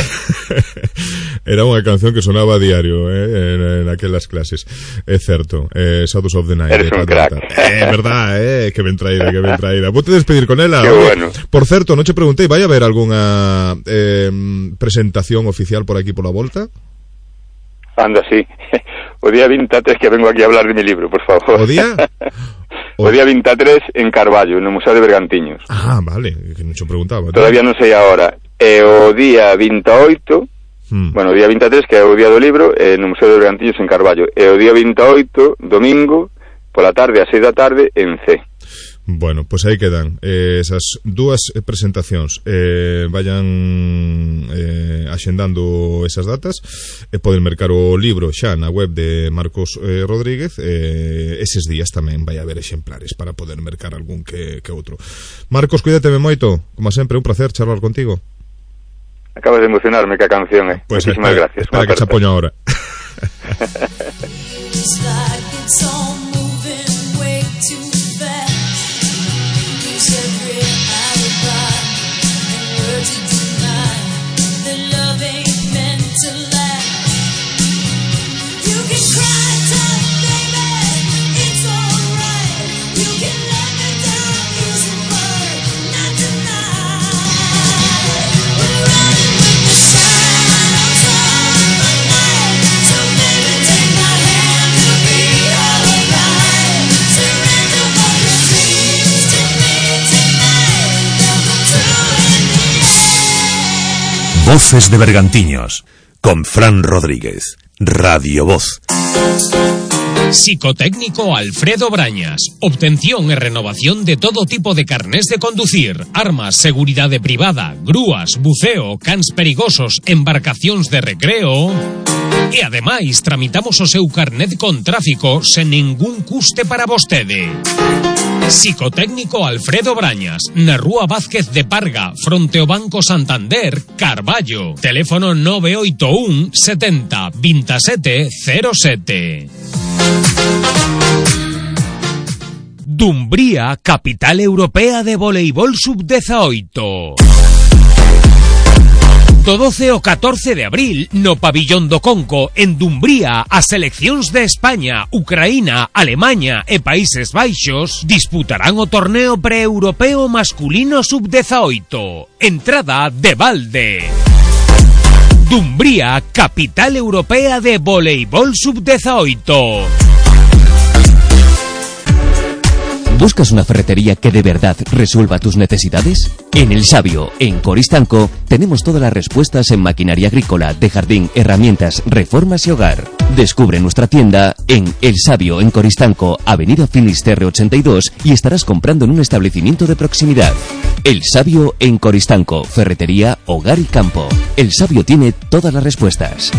Era unha canción que sonaba a diario, eh, en, en aquelas clases. É certo, eh, Shadows of the Night. Eres un crack. É eh, verdad, eh, que ben traída, que ben traída. Vos te despedir con ela. Qué bueno. Por certo, non che preguntei, vai a haber algunha eh, presentación oficial por aquí pola volta? Anda, sí. O día vinte e tres que vengo aquí a hablar de mi libro, por favor. O día? O, o día vinte e tres en Carballo, no Museo de Bergantiños. Ah, vale, que non che preguntaba. Todavía non sei a hora. E o día vinte e oito, hmm. bueno, o día vinte e tres, que é o día do libro, eh, no Museo de Bergantiños en Carballo. E o día vinte e oito, domingo, pola tarde, a seis da tarde, en C. Bueno, pois pues aí quedan eh, esas dúas presentacións, eh, vayan eh, axendando esas datas e eh, poden mercar o libro xa na web de Marcos eh, Rodríguez, eh, eses días tamén vai haber exemplares para poder mercar algún que, que outro. Marcos, cuídateme moito, como sempre, un placer charlar contigo. Acabas de emocionarme ca canción, eh. Pues Muchísimas espera, gracias. Espera que se apoño ahora. Voces de Bergantiños, con Fran Rodríguez, Radio Voz. Psicotécnico Alfredo Brañas. Obtención e renovación de todo tipo de carnés de conducir, armas, seguridade privada, grúas, buceo, cans perigosos, embarcacións de recreo. E ademais tramitamos o seu carnet con tráfico sen ningún custe para vostede. Psicotécnico Alfredo Brañas, na Rúa Vázquez de Parga, fronte ao Banco Santander, Carballo. Teléfono nove oito un setenta veintisiete cero sete. Dumbría, capital europea de voleibol sub dezaoito. Do doce ao catorce de abril, no Pabillón do Conco, en Dumbría, as seleccións de España, Ucraína, Alemaña e Países Baixos disputarán o torneo pre-europeo masculino sub dezaoito. Entrada de balde. Dumbría, capital europea de voleibol sub dezaoito. ¿Buscas una ferretería que de verdad resuelva tus necesidades? En El Sabio, en Coristanco, tenemos todas las respuestas en maquinaria agrícola, de jardín, herramientas, reformas y hogar. Descubre nuestra tienda en El Sabio, en Coristanco, Avenida Finisterre ochenta y dos, y estarás comprando en un establecimiento de proximidad. El Sabio, en Coristanco, ferretería, hogar y campo. El Sabio tiene todas las respuestas.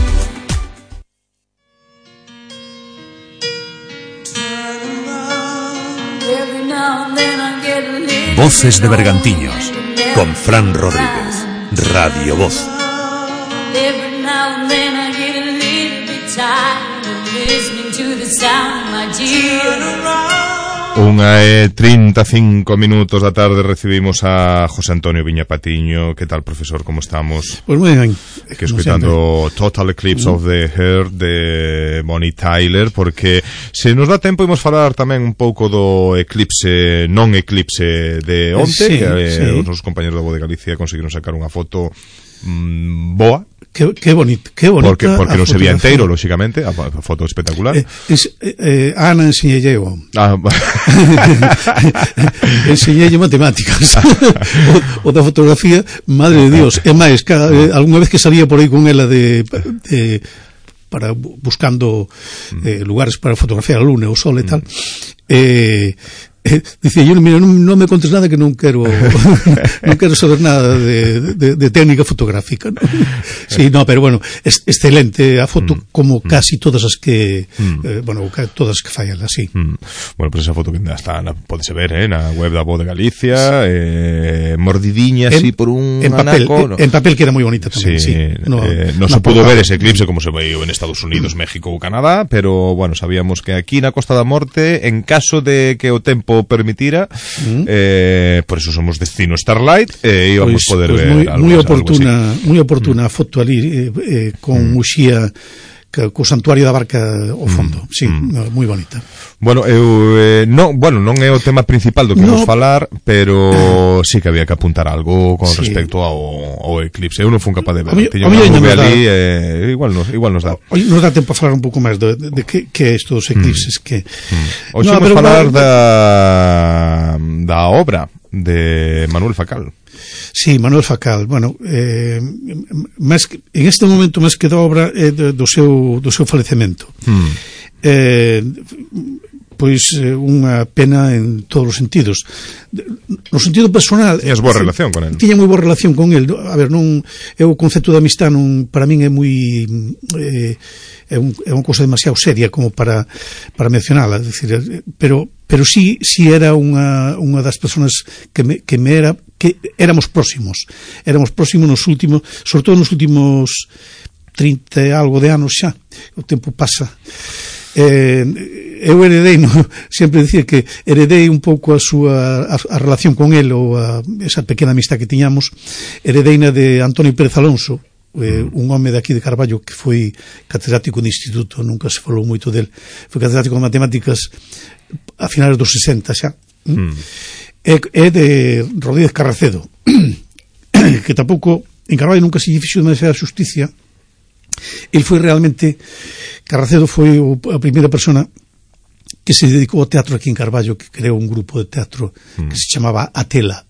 Voces de Bergantiños, con Fran Rodríguez, Radio Voz. Every now and then I get a little bit tired of listening Unha e trinta e cinco minutos da tarde recibimos a José Antonio Viña Patiño. Que tal, profesor, como estamos? Pois pues moi ben. Que escoitando Total Eclipse mm. of the Heart de Bonnie Tyler, porque se nos dá tempo imos falar tamén un pouco do eclipse, non eclipse de onte, sí, que eh, sí. Os nosos compañeros da Voz de Galicia conseguiron sacar unha foto mm, boa. Que, que bonito, que bonita. Porque, porque non se vía enteiro, lóxicamente, a, a foto espectacular. Eh, es, eh, Ana enseñelle eu. Ah, enseñelle matemáticas. o, o da fotografía, madre de Dios. É máis, cada, eh, algunha vez que salía por aí con ela de... de para buscando eh, lugares para fotografiar a luna, o sol e tal, eh, eh, dicía yo, mira, non, non me contes nada que non quero non quero saber nada de, de, de técnica fotográfica, ¿no? Sí, no, pero bueno, es, excelente a foto, mm. como mm. casi todas as que mm. eh, bueno, todas as que fallan así. Mm. Bueno, pues esa foto que está, podese ver, eh, na web da Voz de Galicia, eh, mordidiña así por un en papel, anaco, no. En papel que era moi bonita tamén, sí. sí. No, eh, no se pudo ver ese eclipse como se veiu en Estados Unidos, México ou Canadá, pero bueno, sabíamos que aquí na Costa da Morte, en caso de que o tempo permitira, mm. eh, por eso somos destino Starlight, eh, íbamos pues, poder pues ver muy, algo, muy oportuna, muy oportuna mm. foto ali eh, eh, con mm. Muxía, que, co santuario da Barca ao fondo, mm. sí, mm. no, moi bonita. Bueno, eu eh, no, bueno, non é o tema principal do que no. vamos falar, pero sí que había que apuntar algo con sí. respecto ao, ao eclipse. Eu non fui capaz de ver. Tiño unha nube ali, eh, igual nos, igual nos dá. Hoy nos dá tempo a falar un pouco máis de, de, de que, que é isto dos eclipses, mm. que mm. Hoxe no, vamos falar da da obra de Manuel Facal. Sí, Manuel Facal, bueno, eh, máis que, en este momento máis que da obra é do, do seu do seu falecemento. Mm. Eh, pois eh, unha pena en todos os sentidos. No sentido personal, tiñas boa relación con el. Tiña moi boa relación con el. A ver, non é o concepto de amistad, non, para min é moi eh, é, un, é unha cousa demasiado seria como para para mencionala, decir, pero pero sí sí era unha unha das persoas que me que me era que éramos próximos. Éramos próximos nos últimos, sobre todo nos últimos trinta e algo de anos xa. O tempo pasa. Eh, eu heredei, no, sempre dicía que heredei un pouco a súa a, a relación con el, ou a, esa pequena amistad que tiñamos, heredeina de Antonio Pérez Alonso, eh, un home de aquí de Carballo que foi catedrático de instituto, nunca se falou moito del, foi catedrático de matemáticas a finales dos sesenta xa. Mm. É, é de Rodríguez Carracedo, que tampouco en Carballo nunca se lle fixo demasiada xusticia. El foi realmente, Carracedo foi a primeira persona que se dedicou ao teatro aquí en Carballo, que creou un grupo de teatro mm. que se chamaba Atela,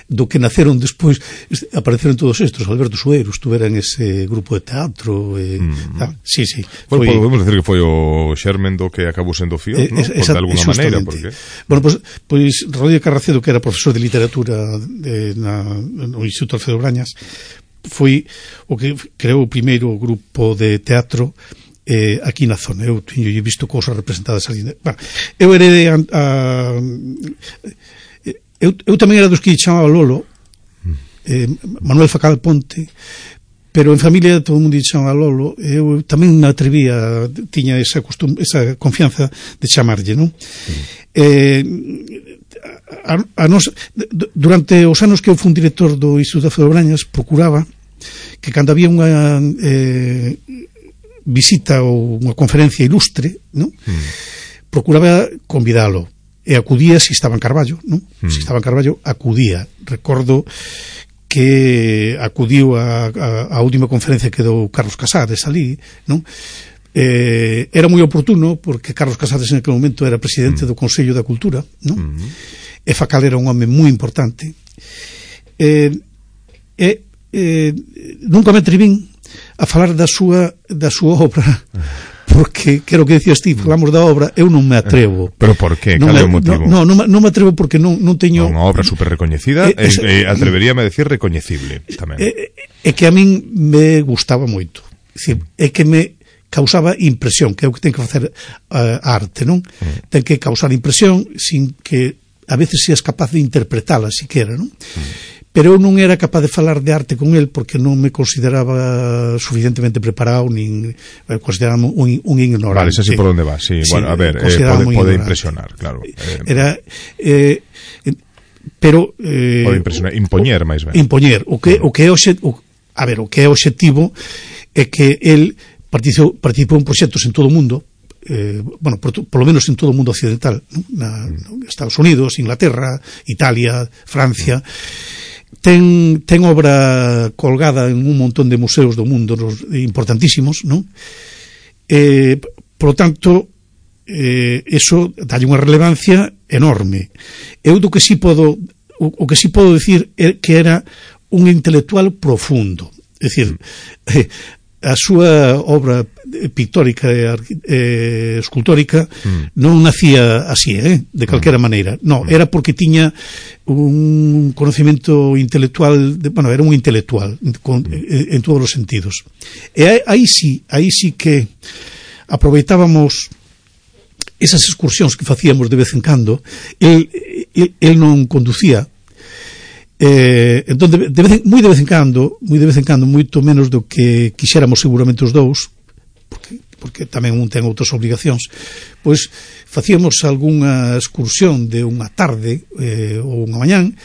do que naceron despois, apareceron todos estes. Alberto Sueiro estuvera en ese grupo de teatro, eh, mm. tal. Sí, sí. Bueno, foi, podemos decir que foi o xermen do que acabou sendo Fío, eh, ¿no? Esa, de alguna maneira, porque... Bueno, pois, pues, pues, Rodríguez Carracedo, que era profesor de literatura de, na, no Instituto Alfredo Brañas, foi o que creou o primeiro grupo de teatro eh, aquí na zona. Eu teño visto cousas representadas ali. Bueno, eu heredei a, a eu, eu tamén era dos que chamaba Lolo, eh, Manuel Facal Ponte, pero en familia todo o mundo chamaba Lolo. Eu tamén me atrevía, tiña esa costum, esa confianza de chamarlle, non? Eh, a, a nos, durante os anos que eu fui un director do Instituto Alfredo Brañas, procuraba que cando había unha eh, visita ou unha conferencia ilustre, non? Mm. Procuraba convidalo, e acudía se estaba en Carballo, non? Mm. Se estaba en Carballo, acudía. Recordo que acudiu a, a, a última conferencia que dou Carlos Casares ali, non? Eh, era moi oportuno porque Carlos Casares en aquel momento era presidente mm. do Consello da Cultura, non? Mm. E Facal era un home moi importante. Eh, e eh, nunca me atrevín a falar da súa da súa obra, porque, que era o que decías ti, falamos da obra, eu non me atrevo. Pero por qué? Cal é o motivo? No, no, non me atrevo porque non, non teño... Unha obra super recoñecida, eh, esa, eh, atreveríame a decir recoñecible tamén. É eh, eh, que a min me gustaba moito. É dicir, é que me causaba impresión, que é o que ten que facer a uh, arte, non? Mm. Ten que causar impresión sin que a veces seas capaz de interpretala siquera, non? Mm. pero eu non era capaz de falar de arte con el porque non me consideraba suficientemente preparado, nin eh, consideraba un, un ignorante. Vale, ese sí por onde va, sí, sí, bueno, a ver, eh, pode, pode impresionar, claro. Eh, era eh, pero eh, pode impresionar, impoñer máis ben. Impoñer, o que o que é o, o a ver, o que é o obxectivo é que el participou, participou en proxectos en todo o mundo. Eh, bueno, por, por lo menos en todo o mundo occidental, ¿no? Na, mm. Estados Unidos, Inglaterra, Italia, Francia. Ten, ten obra colgada en un montón de museos do mundo importantísimos, ¿no? Eh, por lo tanto, eh, eso dalle unha relevancia enorme. Eu do que sí podo, o, o que sí podo decir é que era un intelectual profundo. É dicir, eh, a súa obra pictórica e eh, escultórica mm. non nacía así, eh, de calquera mm. maneira. No, era porque tiña un conocimiento intelectual, de, bueno, era un intelectual con, mm. en, en todos os sentidos. E aí, aí sí, aí sí que aproveitábamos esas excursións que facíamos de vez en cando. El, el, el non conducía. Eh, entón, de, de vez en, moi de vez en cando, moi de vez en cando, moito menos do que quixéramos seguramente os dous, porque, porque tamén un ten outras obligacións, pois facíamos algunha excursión de unha tarde eh, ou unha mañán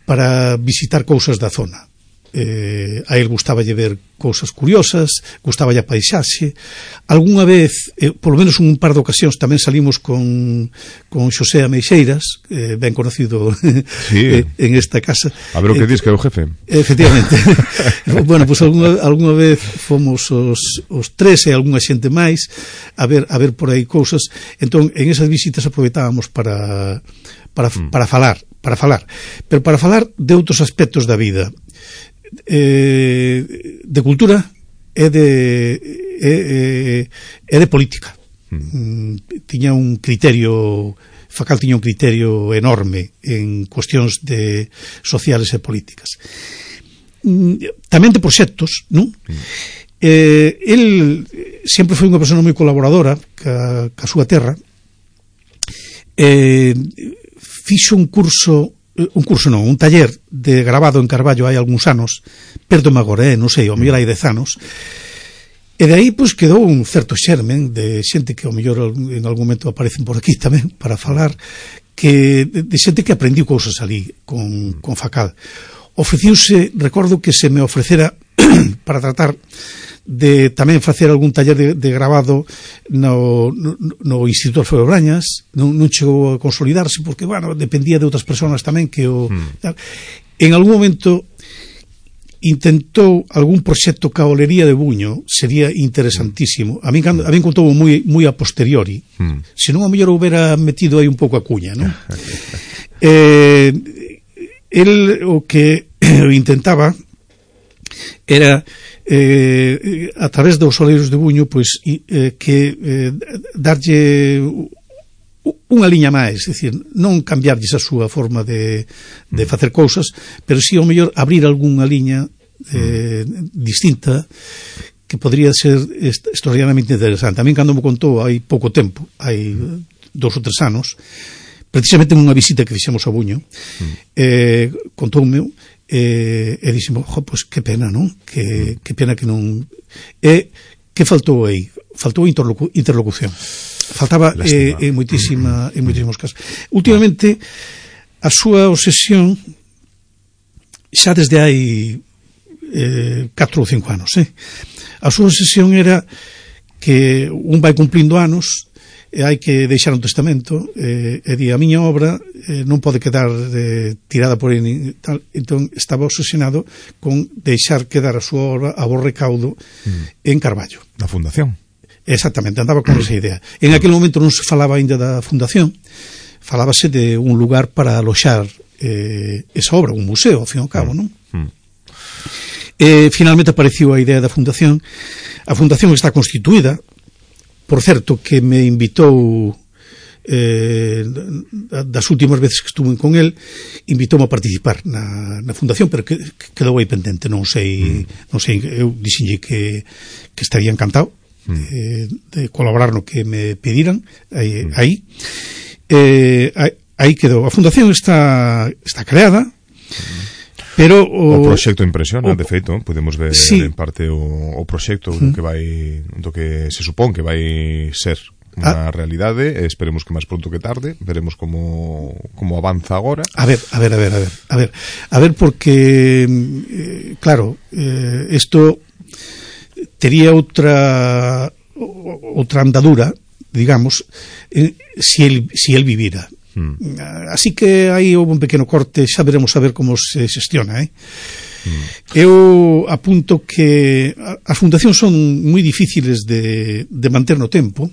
para visitar cousas da zona. Eh, a él gustaballe ver cousas curiosas, gustaballe a paisaxe. Algúnha vez, eh, polo menos un par de ocasións, tamén salimos con, con Xosé Ameixeiras, eh, ben conocido sí. eh, en esta casa. A ver o que eh, dis que é o jefe. Efectivamente. Bueno, pois pues, algunha, algunha vez fomos os, os tres e algunha xente máis a ver, a ver por aí cousas. Entón, en esas visitas aproveitábamos para, para, mm. para falar, para falar, pero para falar de outros aspectos da vida. Eh, de cultura e de e, e de política. Mm. Tiña un criterio, Facal tiña un criterio enorme en cuestións de sociales e políticas. Mm, tamén de proxectos, non? Mm. Eh, el sempre foi unha persona moi colaboradora ca, ca súa terra. Eh, fixo un curso un curso non, un taller de grabado en Carballo hai algúns anos, perdo agora, eh, non sei, ao mellor hai dez anos, e de aí pois quedou un certo xermen de xente que ao mellor en algún momento aparecen por aquí tamén para falar, que de xente que aprendiu cousas ali con, con Facal. Ofreciuse, recordo que se me ofrecera para tratar de tamén facer algún taller de, de grabado no, no, no Instituto Alfredo Brañas. Non, non chegou a consolidarse porque, bueno, dependía de outras persoas tamén que o... Mm. En algún momento intentou algún proxecto ca Olería de Buño, sería interesantísimo. A mí, a mí contou moi, moi a posteriori. Mm. Se non a mellor houbera metido aí un pouco a cuña, non? eh, el o que intentaba era eh, a través dos Oleiros de Buño pois eh, que eh, darlle unha liña máis, é dicir, non cambiarlles a súa forma de, de facer cousas, pero si ao mellor abrir algunha liña eh, distinta que podría ser extraordinariamente interesante. A mí cando me contou hai pouco tempo, hai dous ou tres anos, precisamente nunha visita que fixemos a Buño, eh, contoume e, e dixemos, jo, pois que pena, non? Que, que pena que non... E que faltou aí? Faltou interlocu interlocución. Faltaba eh, en moitísima, en moitísimos casos. Últimamente, a súa obsesión xa desde hai eh, catro ou cinco anos, eh? A súa obsesión era que un vai cumplindo anos e hai que deixar un testamento, eh, e di, a miña obra eh, non pode quedar eh, tirada por aí, tal. Entón estaba obsesionado con deixar quedar a súa obra a bo recaudo mm. en Carballo. Na fundación. Exactamente, andaba con esa idea. En aquel momento non se falaba ainda da fundación, falábase de un lugar para aloxar eh, esa obra, un museo, ao fin e ao cabo, non? Mm. Eh, finalmente apareciu a idea da fundación. A fundación está constituída. Por certo, que me invitou eh, das últimas veces que estuve con el, invitoume a participar na, na fundación, pero que, que quedou aí pendente, non sei, mm. non sei, eu dixenlle que, que estaría encantado mm. eh, de colaborar no que me pediran aí, mm. aí. Eh, aí quedou. A fundación está, está creada. Mm. Pero o, o proxecto impresiona, o, de feito, podemos ver sí. en parte o, o proxecto do que vai, do que se supón que vai ser unha ah. realidade, esperemos que máis pronto que tarde, veremos como como avanza agora. A ver, a ver, a ver, a ver, a ver, a ver porque eh, claro, eh, isto tería outra outra andadura, digamos, eh, si el si el vivira. Hmm. Así que aí houve un pequeno corte, xa veremos a ver como se xestiona, eh? Hmm. Eu apunto que as fundacións son moi difíciles de, de manter no tempo,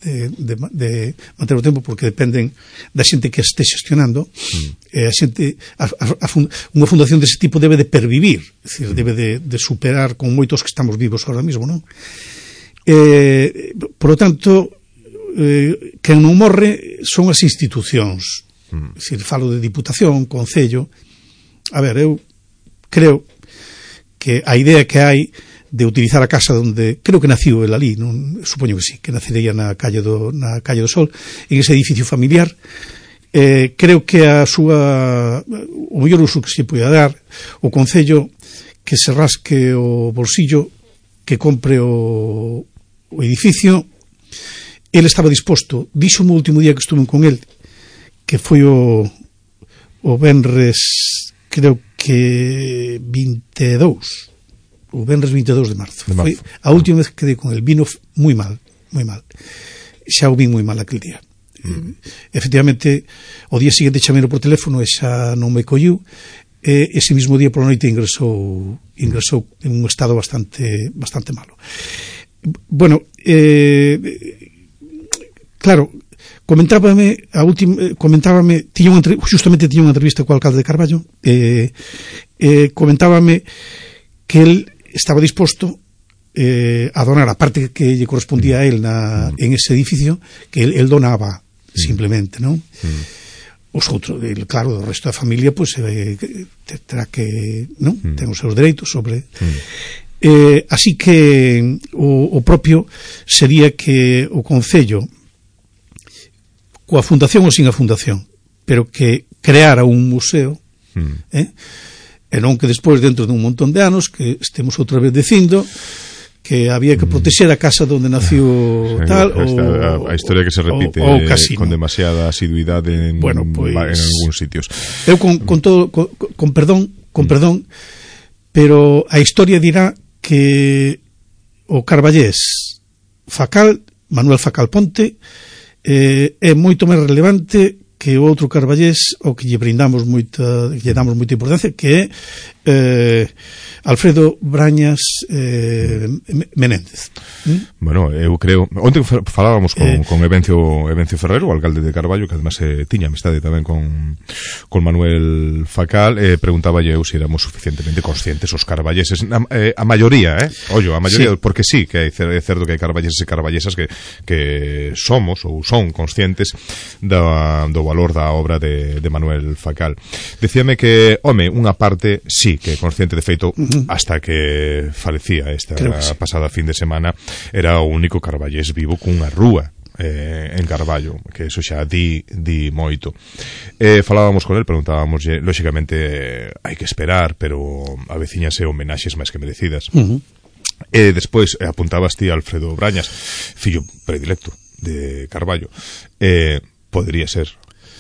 de, de, de manter no tempo porque dependen da xente que este gestionando. Hmm. E a xente, a, a, a fund, unha fundación dese tipo debe de pervivir, é dicir, hmm. debe de, de superar con moitos que estamos vivos ahora mismo, non? Eh, por lo tanto, Eh, quen non morre son as institucións, mm. é dicir, falo de Diputación, Concello. A ver, eu creo que a idea que hai de utilizar a casa onde creo que naciu el ali, non, supoño que sí, que nacería na calle do, na calle do Sol, en ese edificio familiar, eh, creo que a súa o mellor uso que se poida dar, o Concello que se rasque o bolsillo, que compre o, o edificio. Ele estaba disposto, dixo o último día que estuve con el, que foi o o venres, creo que vinte e dous, o venres vinte e dous de marzo, de marzo. Foi a última vez que quedei con el, vino moi mal, moi mal, xa o vin moi mal aquel día. Mm. Efectivamente, o día seguinte chamei por teléfono e xa non me colliu, e ese mismo día por la noite ingresou ingresou en un estado bastante bastante malo. Bueno, eh claro, comentábame a última, comentábame, tiña unha, justamente tiña unha entrevista co alcalde de Carballo, eh, eh, comentábame que el estaba disposto eh, a donar a parte que lle correspondía a él na, en ese edificio, que el, el donaba simplemente, non? Os outros, el, claro, o resto da familia pois pues, eh, terá que, non? Ten os seus dereitos sobre... Eh, así que o, o propio sería que o Concello, coa fundación ou sin a fundación, pero que creara un museo, mm. eh? e non que despois, dentro dun montón de anos, que estemos outra vez dicindo que había que proteger a casa onde nació sí, tal, esta, o, a, a historia que se repite o, o con demasiada asiduidade en, bueno, pues, en algúns sitios. Eu con, con todo, con, con perdón, con mm. perdón, pero a historia dirá que o carballés Facal, Manuel Facal Ponte, Eh, é moito máis relevante que o outro carballés o que lle brindamos moita, que lle damos moita importancia, que é eh, Alfredo Brañas eh, Menéndez. ¿Mm? Bueno, eu creo, onte falábamos con, eh, con Evencio, Evencio Ferrero, o alcalde de Carballo, que además eh, tiña amistade tamén con, con Manuel Facal, eh, preguntaba eu se éramos suficientemente conscientes os carballeses, a, eh, a maioría, eh? Ollo, a maioría, sí. Porque sí, que é certo que hai carballeses e carballesas que, que somos ou son conscientes da, do valor da obra de, de Manuel Facal. Decíame que, home, unha parte sí que é consciente, de feito, uh-huh. hasta que falecía esta que sí. pasada fin de semana, era o único carballés vivo cunha rúa eh, en Carballo, que eso xa di, di moito. Eh, falábamos con el, preguntábamos, lóxicamente hai que esperar, pero avecíñase homenaxes máis que merecidas. Uh-huh. E despois eh, apuntabas ti a Alfredo Brañas, fillo predilecto de Carballo. Eh, podría ser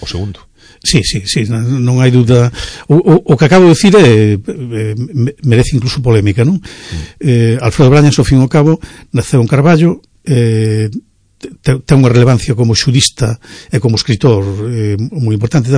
o segundo. Sí, sí, sí, non hai dúda. O, o, o que acabo de dicir é, é, merece incluso polémica, non? Mm. Eh, Alfredo Brañas, ao fin e ao cabo, naceu en Carballo, eh, ten unha relevancia como xurista e como escritor eh, moi importante,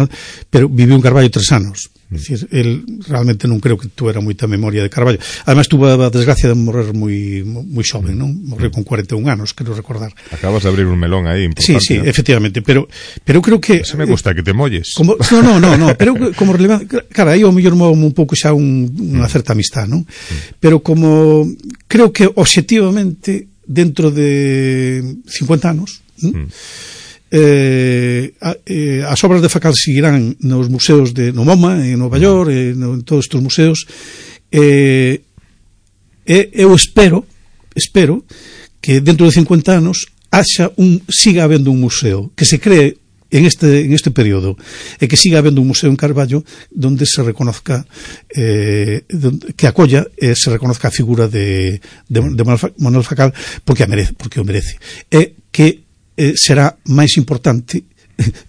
pero viviu en Carballo tres anos. É dicir, el realmente non creo que tuera moita memoria de Carballo. Además, tuvo a desgracia de morrer moi moi xoven, non? Morreu con cuarenta e un anos, quero recordar. Acabas de abrir un melón aí importante. Sí, sí, ¿no? Efectivamente, pero pero creo que se me gusta eh, que te molles. Como, no, no, no, no, pero como relevante, cara, aí ao mellor movo un pouco xa un, unha certa amistad, non? Pero como creo que obxectivamente dentro de cincuenta anos, ¿no? mm. Eh, a, eh, as obras de Facal seguirán nos museos de no MoMA, en Nova York, eh, no, en todos estes museos. Eh, eh, eu espero, espero que dentro de cincuenta anos haxa un, siga habendo un museo, que se cree en este, en este periodo é que siga habendo un museo en Carballo donde se reconozca eh, donde, que acolla e eh, se reconozca a figura de, de, de Manuel Facal porque a merece, porque o merece e que eh, será máis importante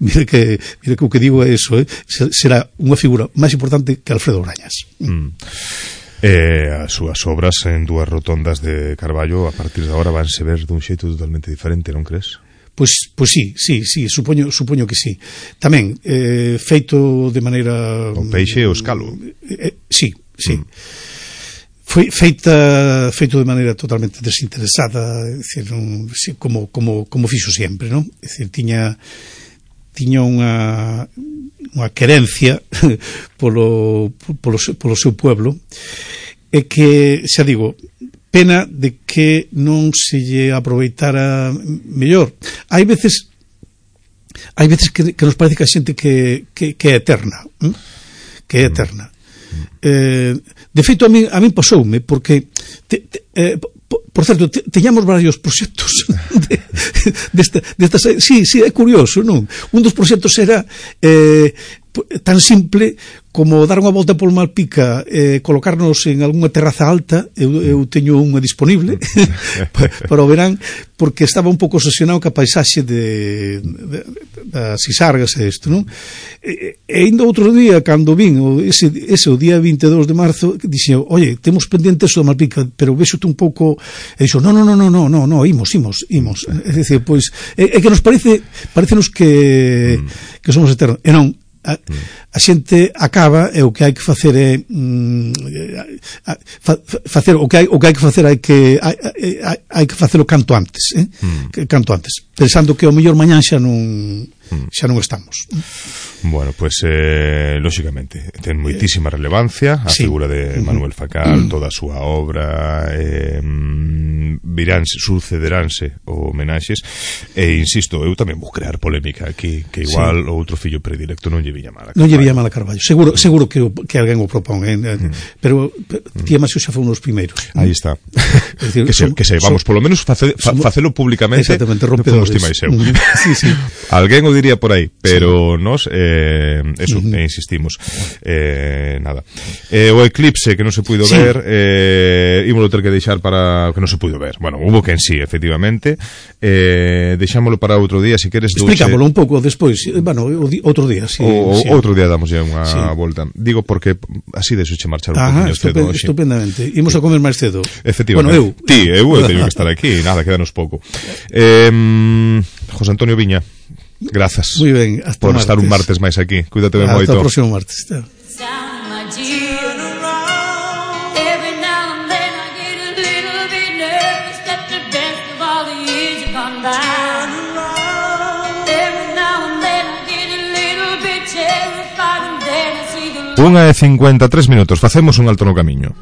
mire que, mire que o que digo é eso, eh, será unha figura máis importante que Alfredo Brañas. Mm. Eh, as súas obras en dúas rotondas de Carballo a partir de agora vanse ver dun xeito totalmente diferente, non crees? Pois, pois sí, sí, sí, supoño, supoño que sí. Tamén, eh, feito de maneira... O peixe e o escalo. Eh, sí, sí. Mm. Foi feita feito de maneira totalmente desinteresada, é dicir, un, como, como, como fixo sempre, non? É dicir, tiña tiña unha unha querencia polo, polo, polo seu pueblo e que, xa digo, pena de que non se lle aproveitara mellor. Hai veces hai veces que, que nos parece que a xente que, que, que é eterna, ¿eh? que é eterna. Eh, de feito, a mí, a mí pasoume, porque te, te, eh, por certo, te, teñamos varios proxectos de, desta, desta, sí, sí, é curioso, non? Un dos proxectos era eh, tan simple como dar unha volta por Malpica e eh, colocarnos en algunha terraza alta. Eu, eu teño unha disponible para o verán, porque estaba un pouco obsesionado ca paisaxe de, de, das Sisargas e isto, non? E, e ainda outro día, cando vin ese, ese o día vinte e dous de marzo, dixen, oye, temos pendiente eso de Malpica, pero vexote un pouco, e dixo, no, no, no, no, no, no, no, imos, imos, imos. É dicir, pois, é, é que nos parece, parecenos que, que somos eternos, e non, A, a xente acaba e o que hai que facer é mm, a, fa, facer o que hai o que hai que facer hai que hai, hai, hai que facelo canto antes, eh? mm. canto antes, pensando que o mellor mañán xa non xa non estamos. Bueno, pues eh, lógicamente ten moitísima relevancia a sí. figura de Manuel Facal, toda a súa obra, eh, viránse, sucederánse homenaxes e insisto, eu tamén vou crear polémica aquí, que igual sí. o outro fillo predilecto non lle viña mal a Carballo. Non lle viña mal a Carballo, seguro, seguro que, que alguén o propón, eh? mm. pero, pero mm. Tía Masio xa foi un dos primeiros. Aí está. Decir, que, se, que se, vamos, polo menos face, fa, facelo públicamente. Exactamente, rompedores. Tía Masio. sí, sí. Alguén o diría por aí, pero sí. nos eh, eso, uh-huh. eh, insistimos eh, nada eh, o eclipse que non se puido sí. ver eh, ímolo ter que deixar para que non se puido ver, bueno, hubo que en sí efectivamente, eh, deixámolo para outro día, se queres explícamolo un pouco despois, bueno, outro día sí, o, sí. outro día damos ya unha sí. volta, digo porque así deixoche marchar un Ajá, poquinho cedo hoxe. Estupendamente, imos a comer máis cedo efectivamente, bueno, eu. Ti, eu, eu teño que estar aquí, nada, quedanos pouco eh, José Antonio Viña, grazas muy ben, hasta por martes. Estar un martes máis aquí. Cuídate ben moito. Hasta o próximo martes. Unha e cincuenta e tres minutos. Facemos un alto no camiño.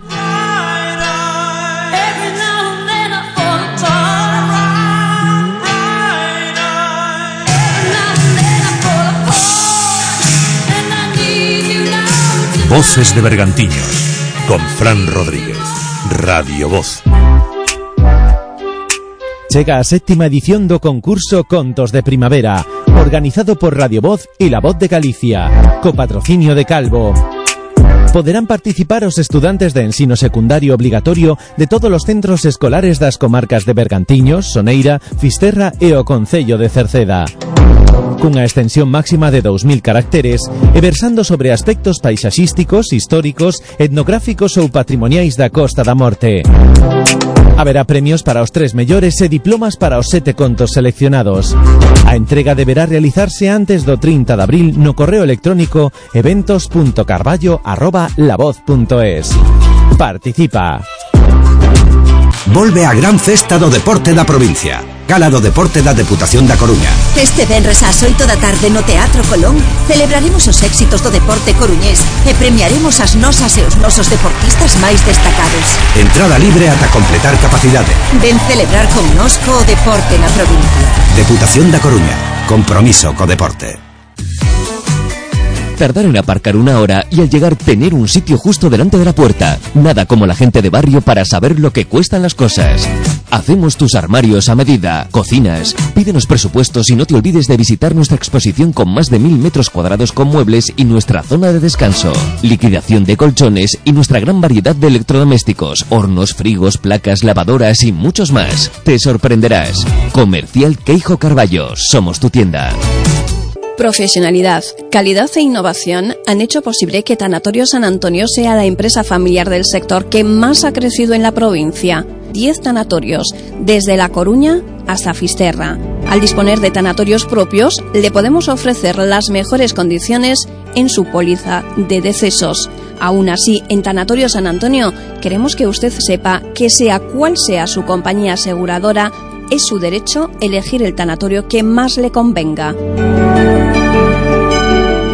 Voces de Bergantiños con Fran Rodríguez, Radio Voz. Chega a séptima edición do concurso Contos de Primavera, organizado por Radio Voz e La Voz de Galicia, co patrocinio de Calvo. Poderán participar os estudantes de ensino secundario obligatorio de todos os centros escolares das comarcas de Bergantiños, Soneira, Fisterra e o concello de Cerceda. Cunha extensión máxima de dous mil caracteres e versando sobre aspectos paisaxísticos, históricos, etnográficos ou patrimoniais da Costa da Morte. Haberá premios para os tres mellores e diplomas para os sete contos seleccionados. A entrega deberá realizarse antes do trinta de abril no correo electrónico eventos punto carballo arroba lavoz punto es. Participa. Volve a gran festa do deporte da provincia. Gala do Deporte da Deputación da Coruña. Este venres ás oito da tarde no Teatro Colón celebraremos os éxitos do deporte coruñés e premiaremos as nosas e os nosos deportistas máis destacados. Entrada libre ata completar capacidade. Ven celebrar connosco o deporte na provincia. Deputación da Coruña. Compromiso co deporte. Tardar en aparcar una hora y al llegar tener un sitio justo delante de la puerta. Nada como la gente de barrio para saber lo que cuestan las cosas. Hacemos tus armarios a medida. Cocinas. Pídenos presupuestos y no te olvides de visitar nuestra exposición con más de mil metros cuadrados con muebles y nuestra zona de descanso. Liquidación de colchones y nuestra gran variedad de electrodomésticos, hornos, frigos, placas, lavadoras y muchos más. Te sorprenderás. Comercial Queijo Carballo. Somos tu tienda. Profesionalidad, calidad e innovación han hecho posible que Tanatorio San Antonio sea la empresa familiar del sector que más ha crecido en la provincia. Diez tanatorios, desde La Coruña hasta Fisterra. Al disponer de tanatorios propios, le podemos ofrecer las mejores condiciones en su póliza de decesos. Aún así, en Tanatorio San Antonio queremos que usted sepa que sea cual sea su compañía aseguradora, es su derecho elegir el tanatorio que más le convenga.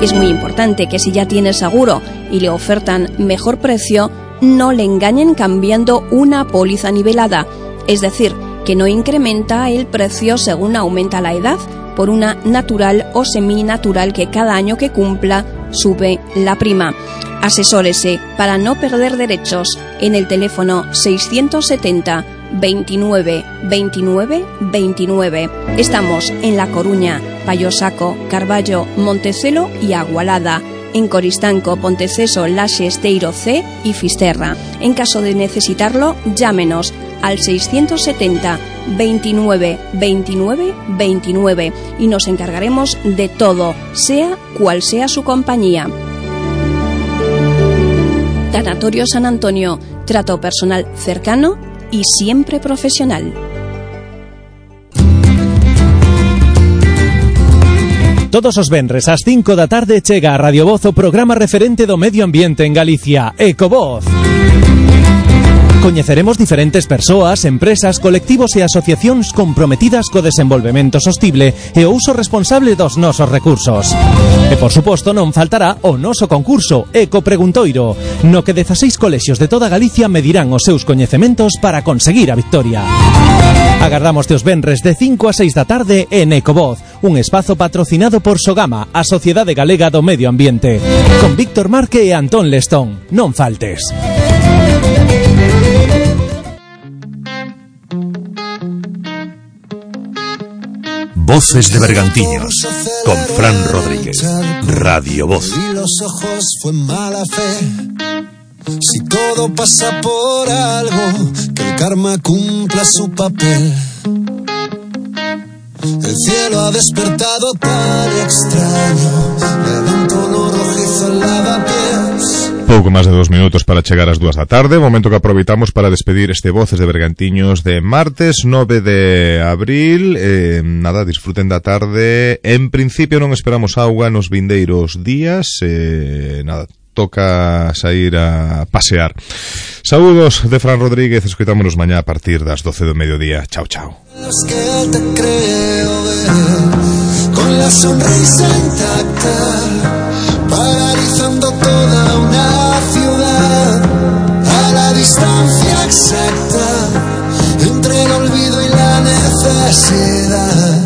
Es muy importante que si ya tiene seguro y le ofertan mejor precio, no le engañen cambiando una póliza nivelada, es decir, que no incrementa el precio según aumenta la edad, por una natural o seminatural que cada año que cumpla sube la prima. Asesórese para no perder derechos en el teléfono seiscientos setenta veintinueve veintinueve veintinueve. Estamos en La Coruña, Payosaco, Carballo, Montecelo y Agualada. En Coristanco, Ponteceso, Laxe, Esteiro C y Fisterra. En caso de necesitarlo, llámenos al seiscientos setenta veintinueve veintinueve veintinueve y nos encargaremos de todo, sea cual sea su compañía. Tanatorio San Antonio, trato personal cercano y siempre profesional. Todos os venres ás cinco da tarde chega a Radio Voz o programa referente do medio ambiente en Galicia, Ecovoz. Coñeceremos diferentes persoas, empresas, colectivos e asociacións comprometidas co desenvolvemento sostible e o uso responsable dos nosos recursos. E, por suposto, non faltará o noso concurso Eco Preguntoiro, no que dezaseis colexios de toda Galicia medirán os seus coñecementos para conseguir a victoria. Agardamos teos venres de cinco a seis da tarde en Ecovoz, un espazo patrocinado por Sogama, a Sociedade Galega do Medio Ambiente, con Víctor Marque e Antón Lestón. Non faltes. Voces de Bergantiños, con Fran Rodríguez. Radio Voz. Y los ojos fue mala fe. Si todo pasa por algo, que el karma cumpla su papel. El cielo ha despertado tan extraño, levanta un rojizo en lavapiés. Pouco máis de dos minutos para chegar ás dúas da tarde, momento que aproveitamos para despedir este Voces de Bergantiños de martes nove de abril. eh, nada, disfruten da tarde. En principio non esperamos auga nos vindeiros días, eh, nada, toca sair a pasear. Saúdos de Fran Rodríguez, escoitámonos mañá a partir das doce do mediodía. Chao, chao. Los que te creo ver, con la sonrisa intacta, paralizando toda una ciudad, a la distancia exacta entre el olvido y la necesidad.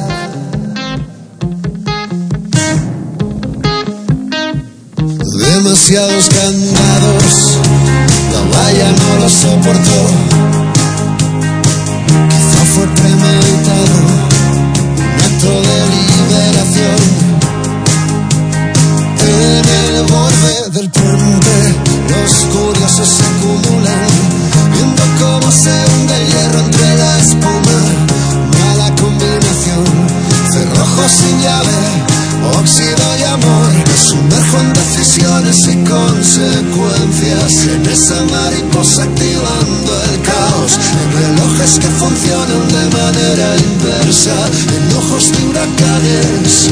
Demasiados candados, la valla no lo soportó. Quizá fue premeditado, un acto de liberación. En el borde del puente, los curiosos se acumulan, viendo cómo se hunde el hierro entre la espuma. Mala combinación, cerrojos sin llave, óxido y amor. Me sumerjo en decisiones y consecuencias, en esa mariposa activando el caos, en relojes que funcionan de manera inversa, en ojos de huracanes.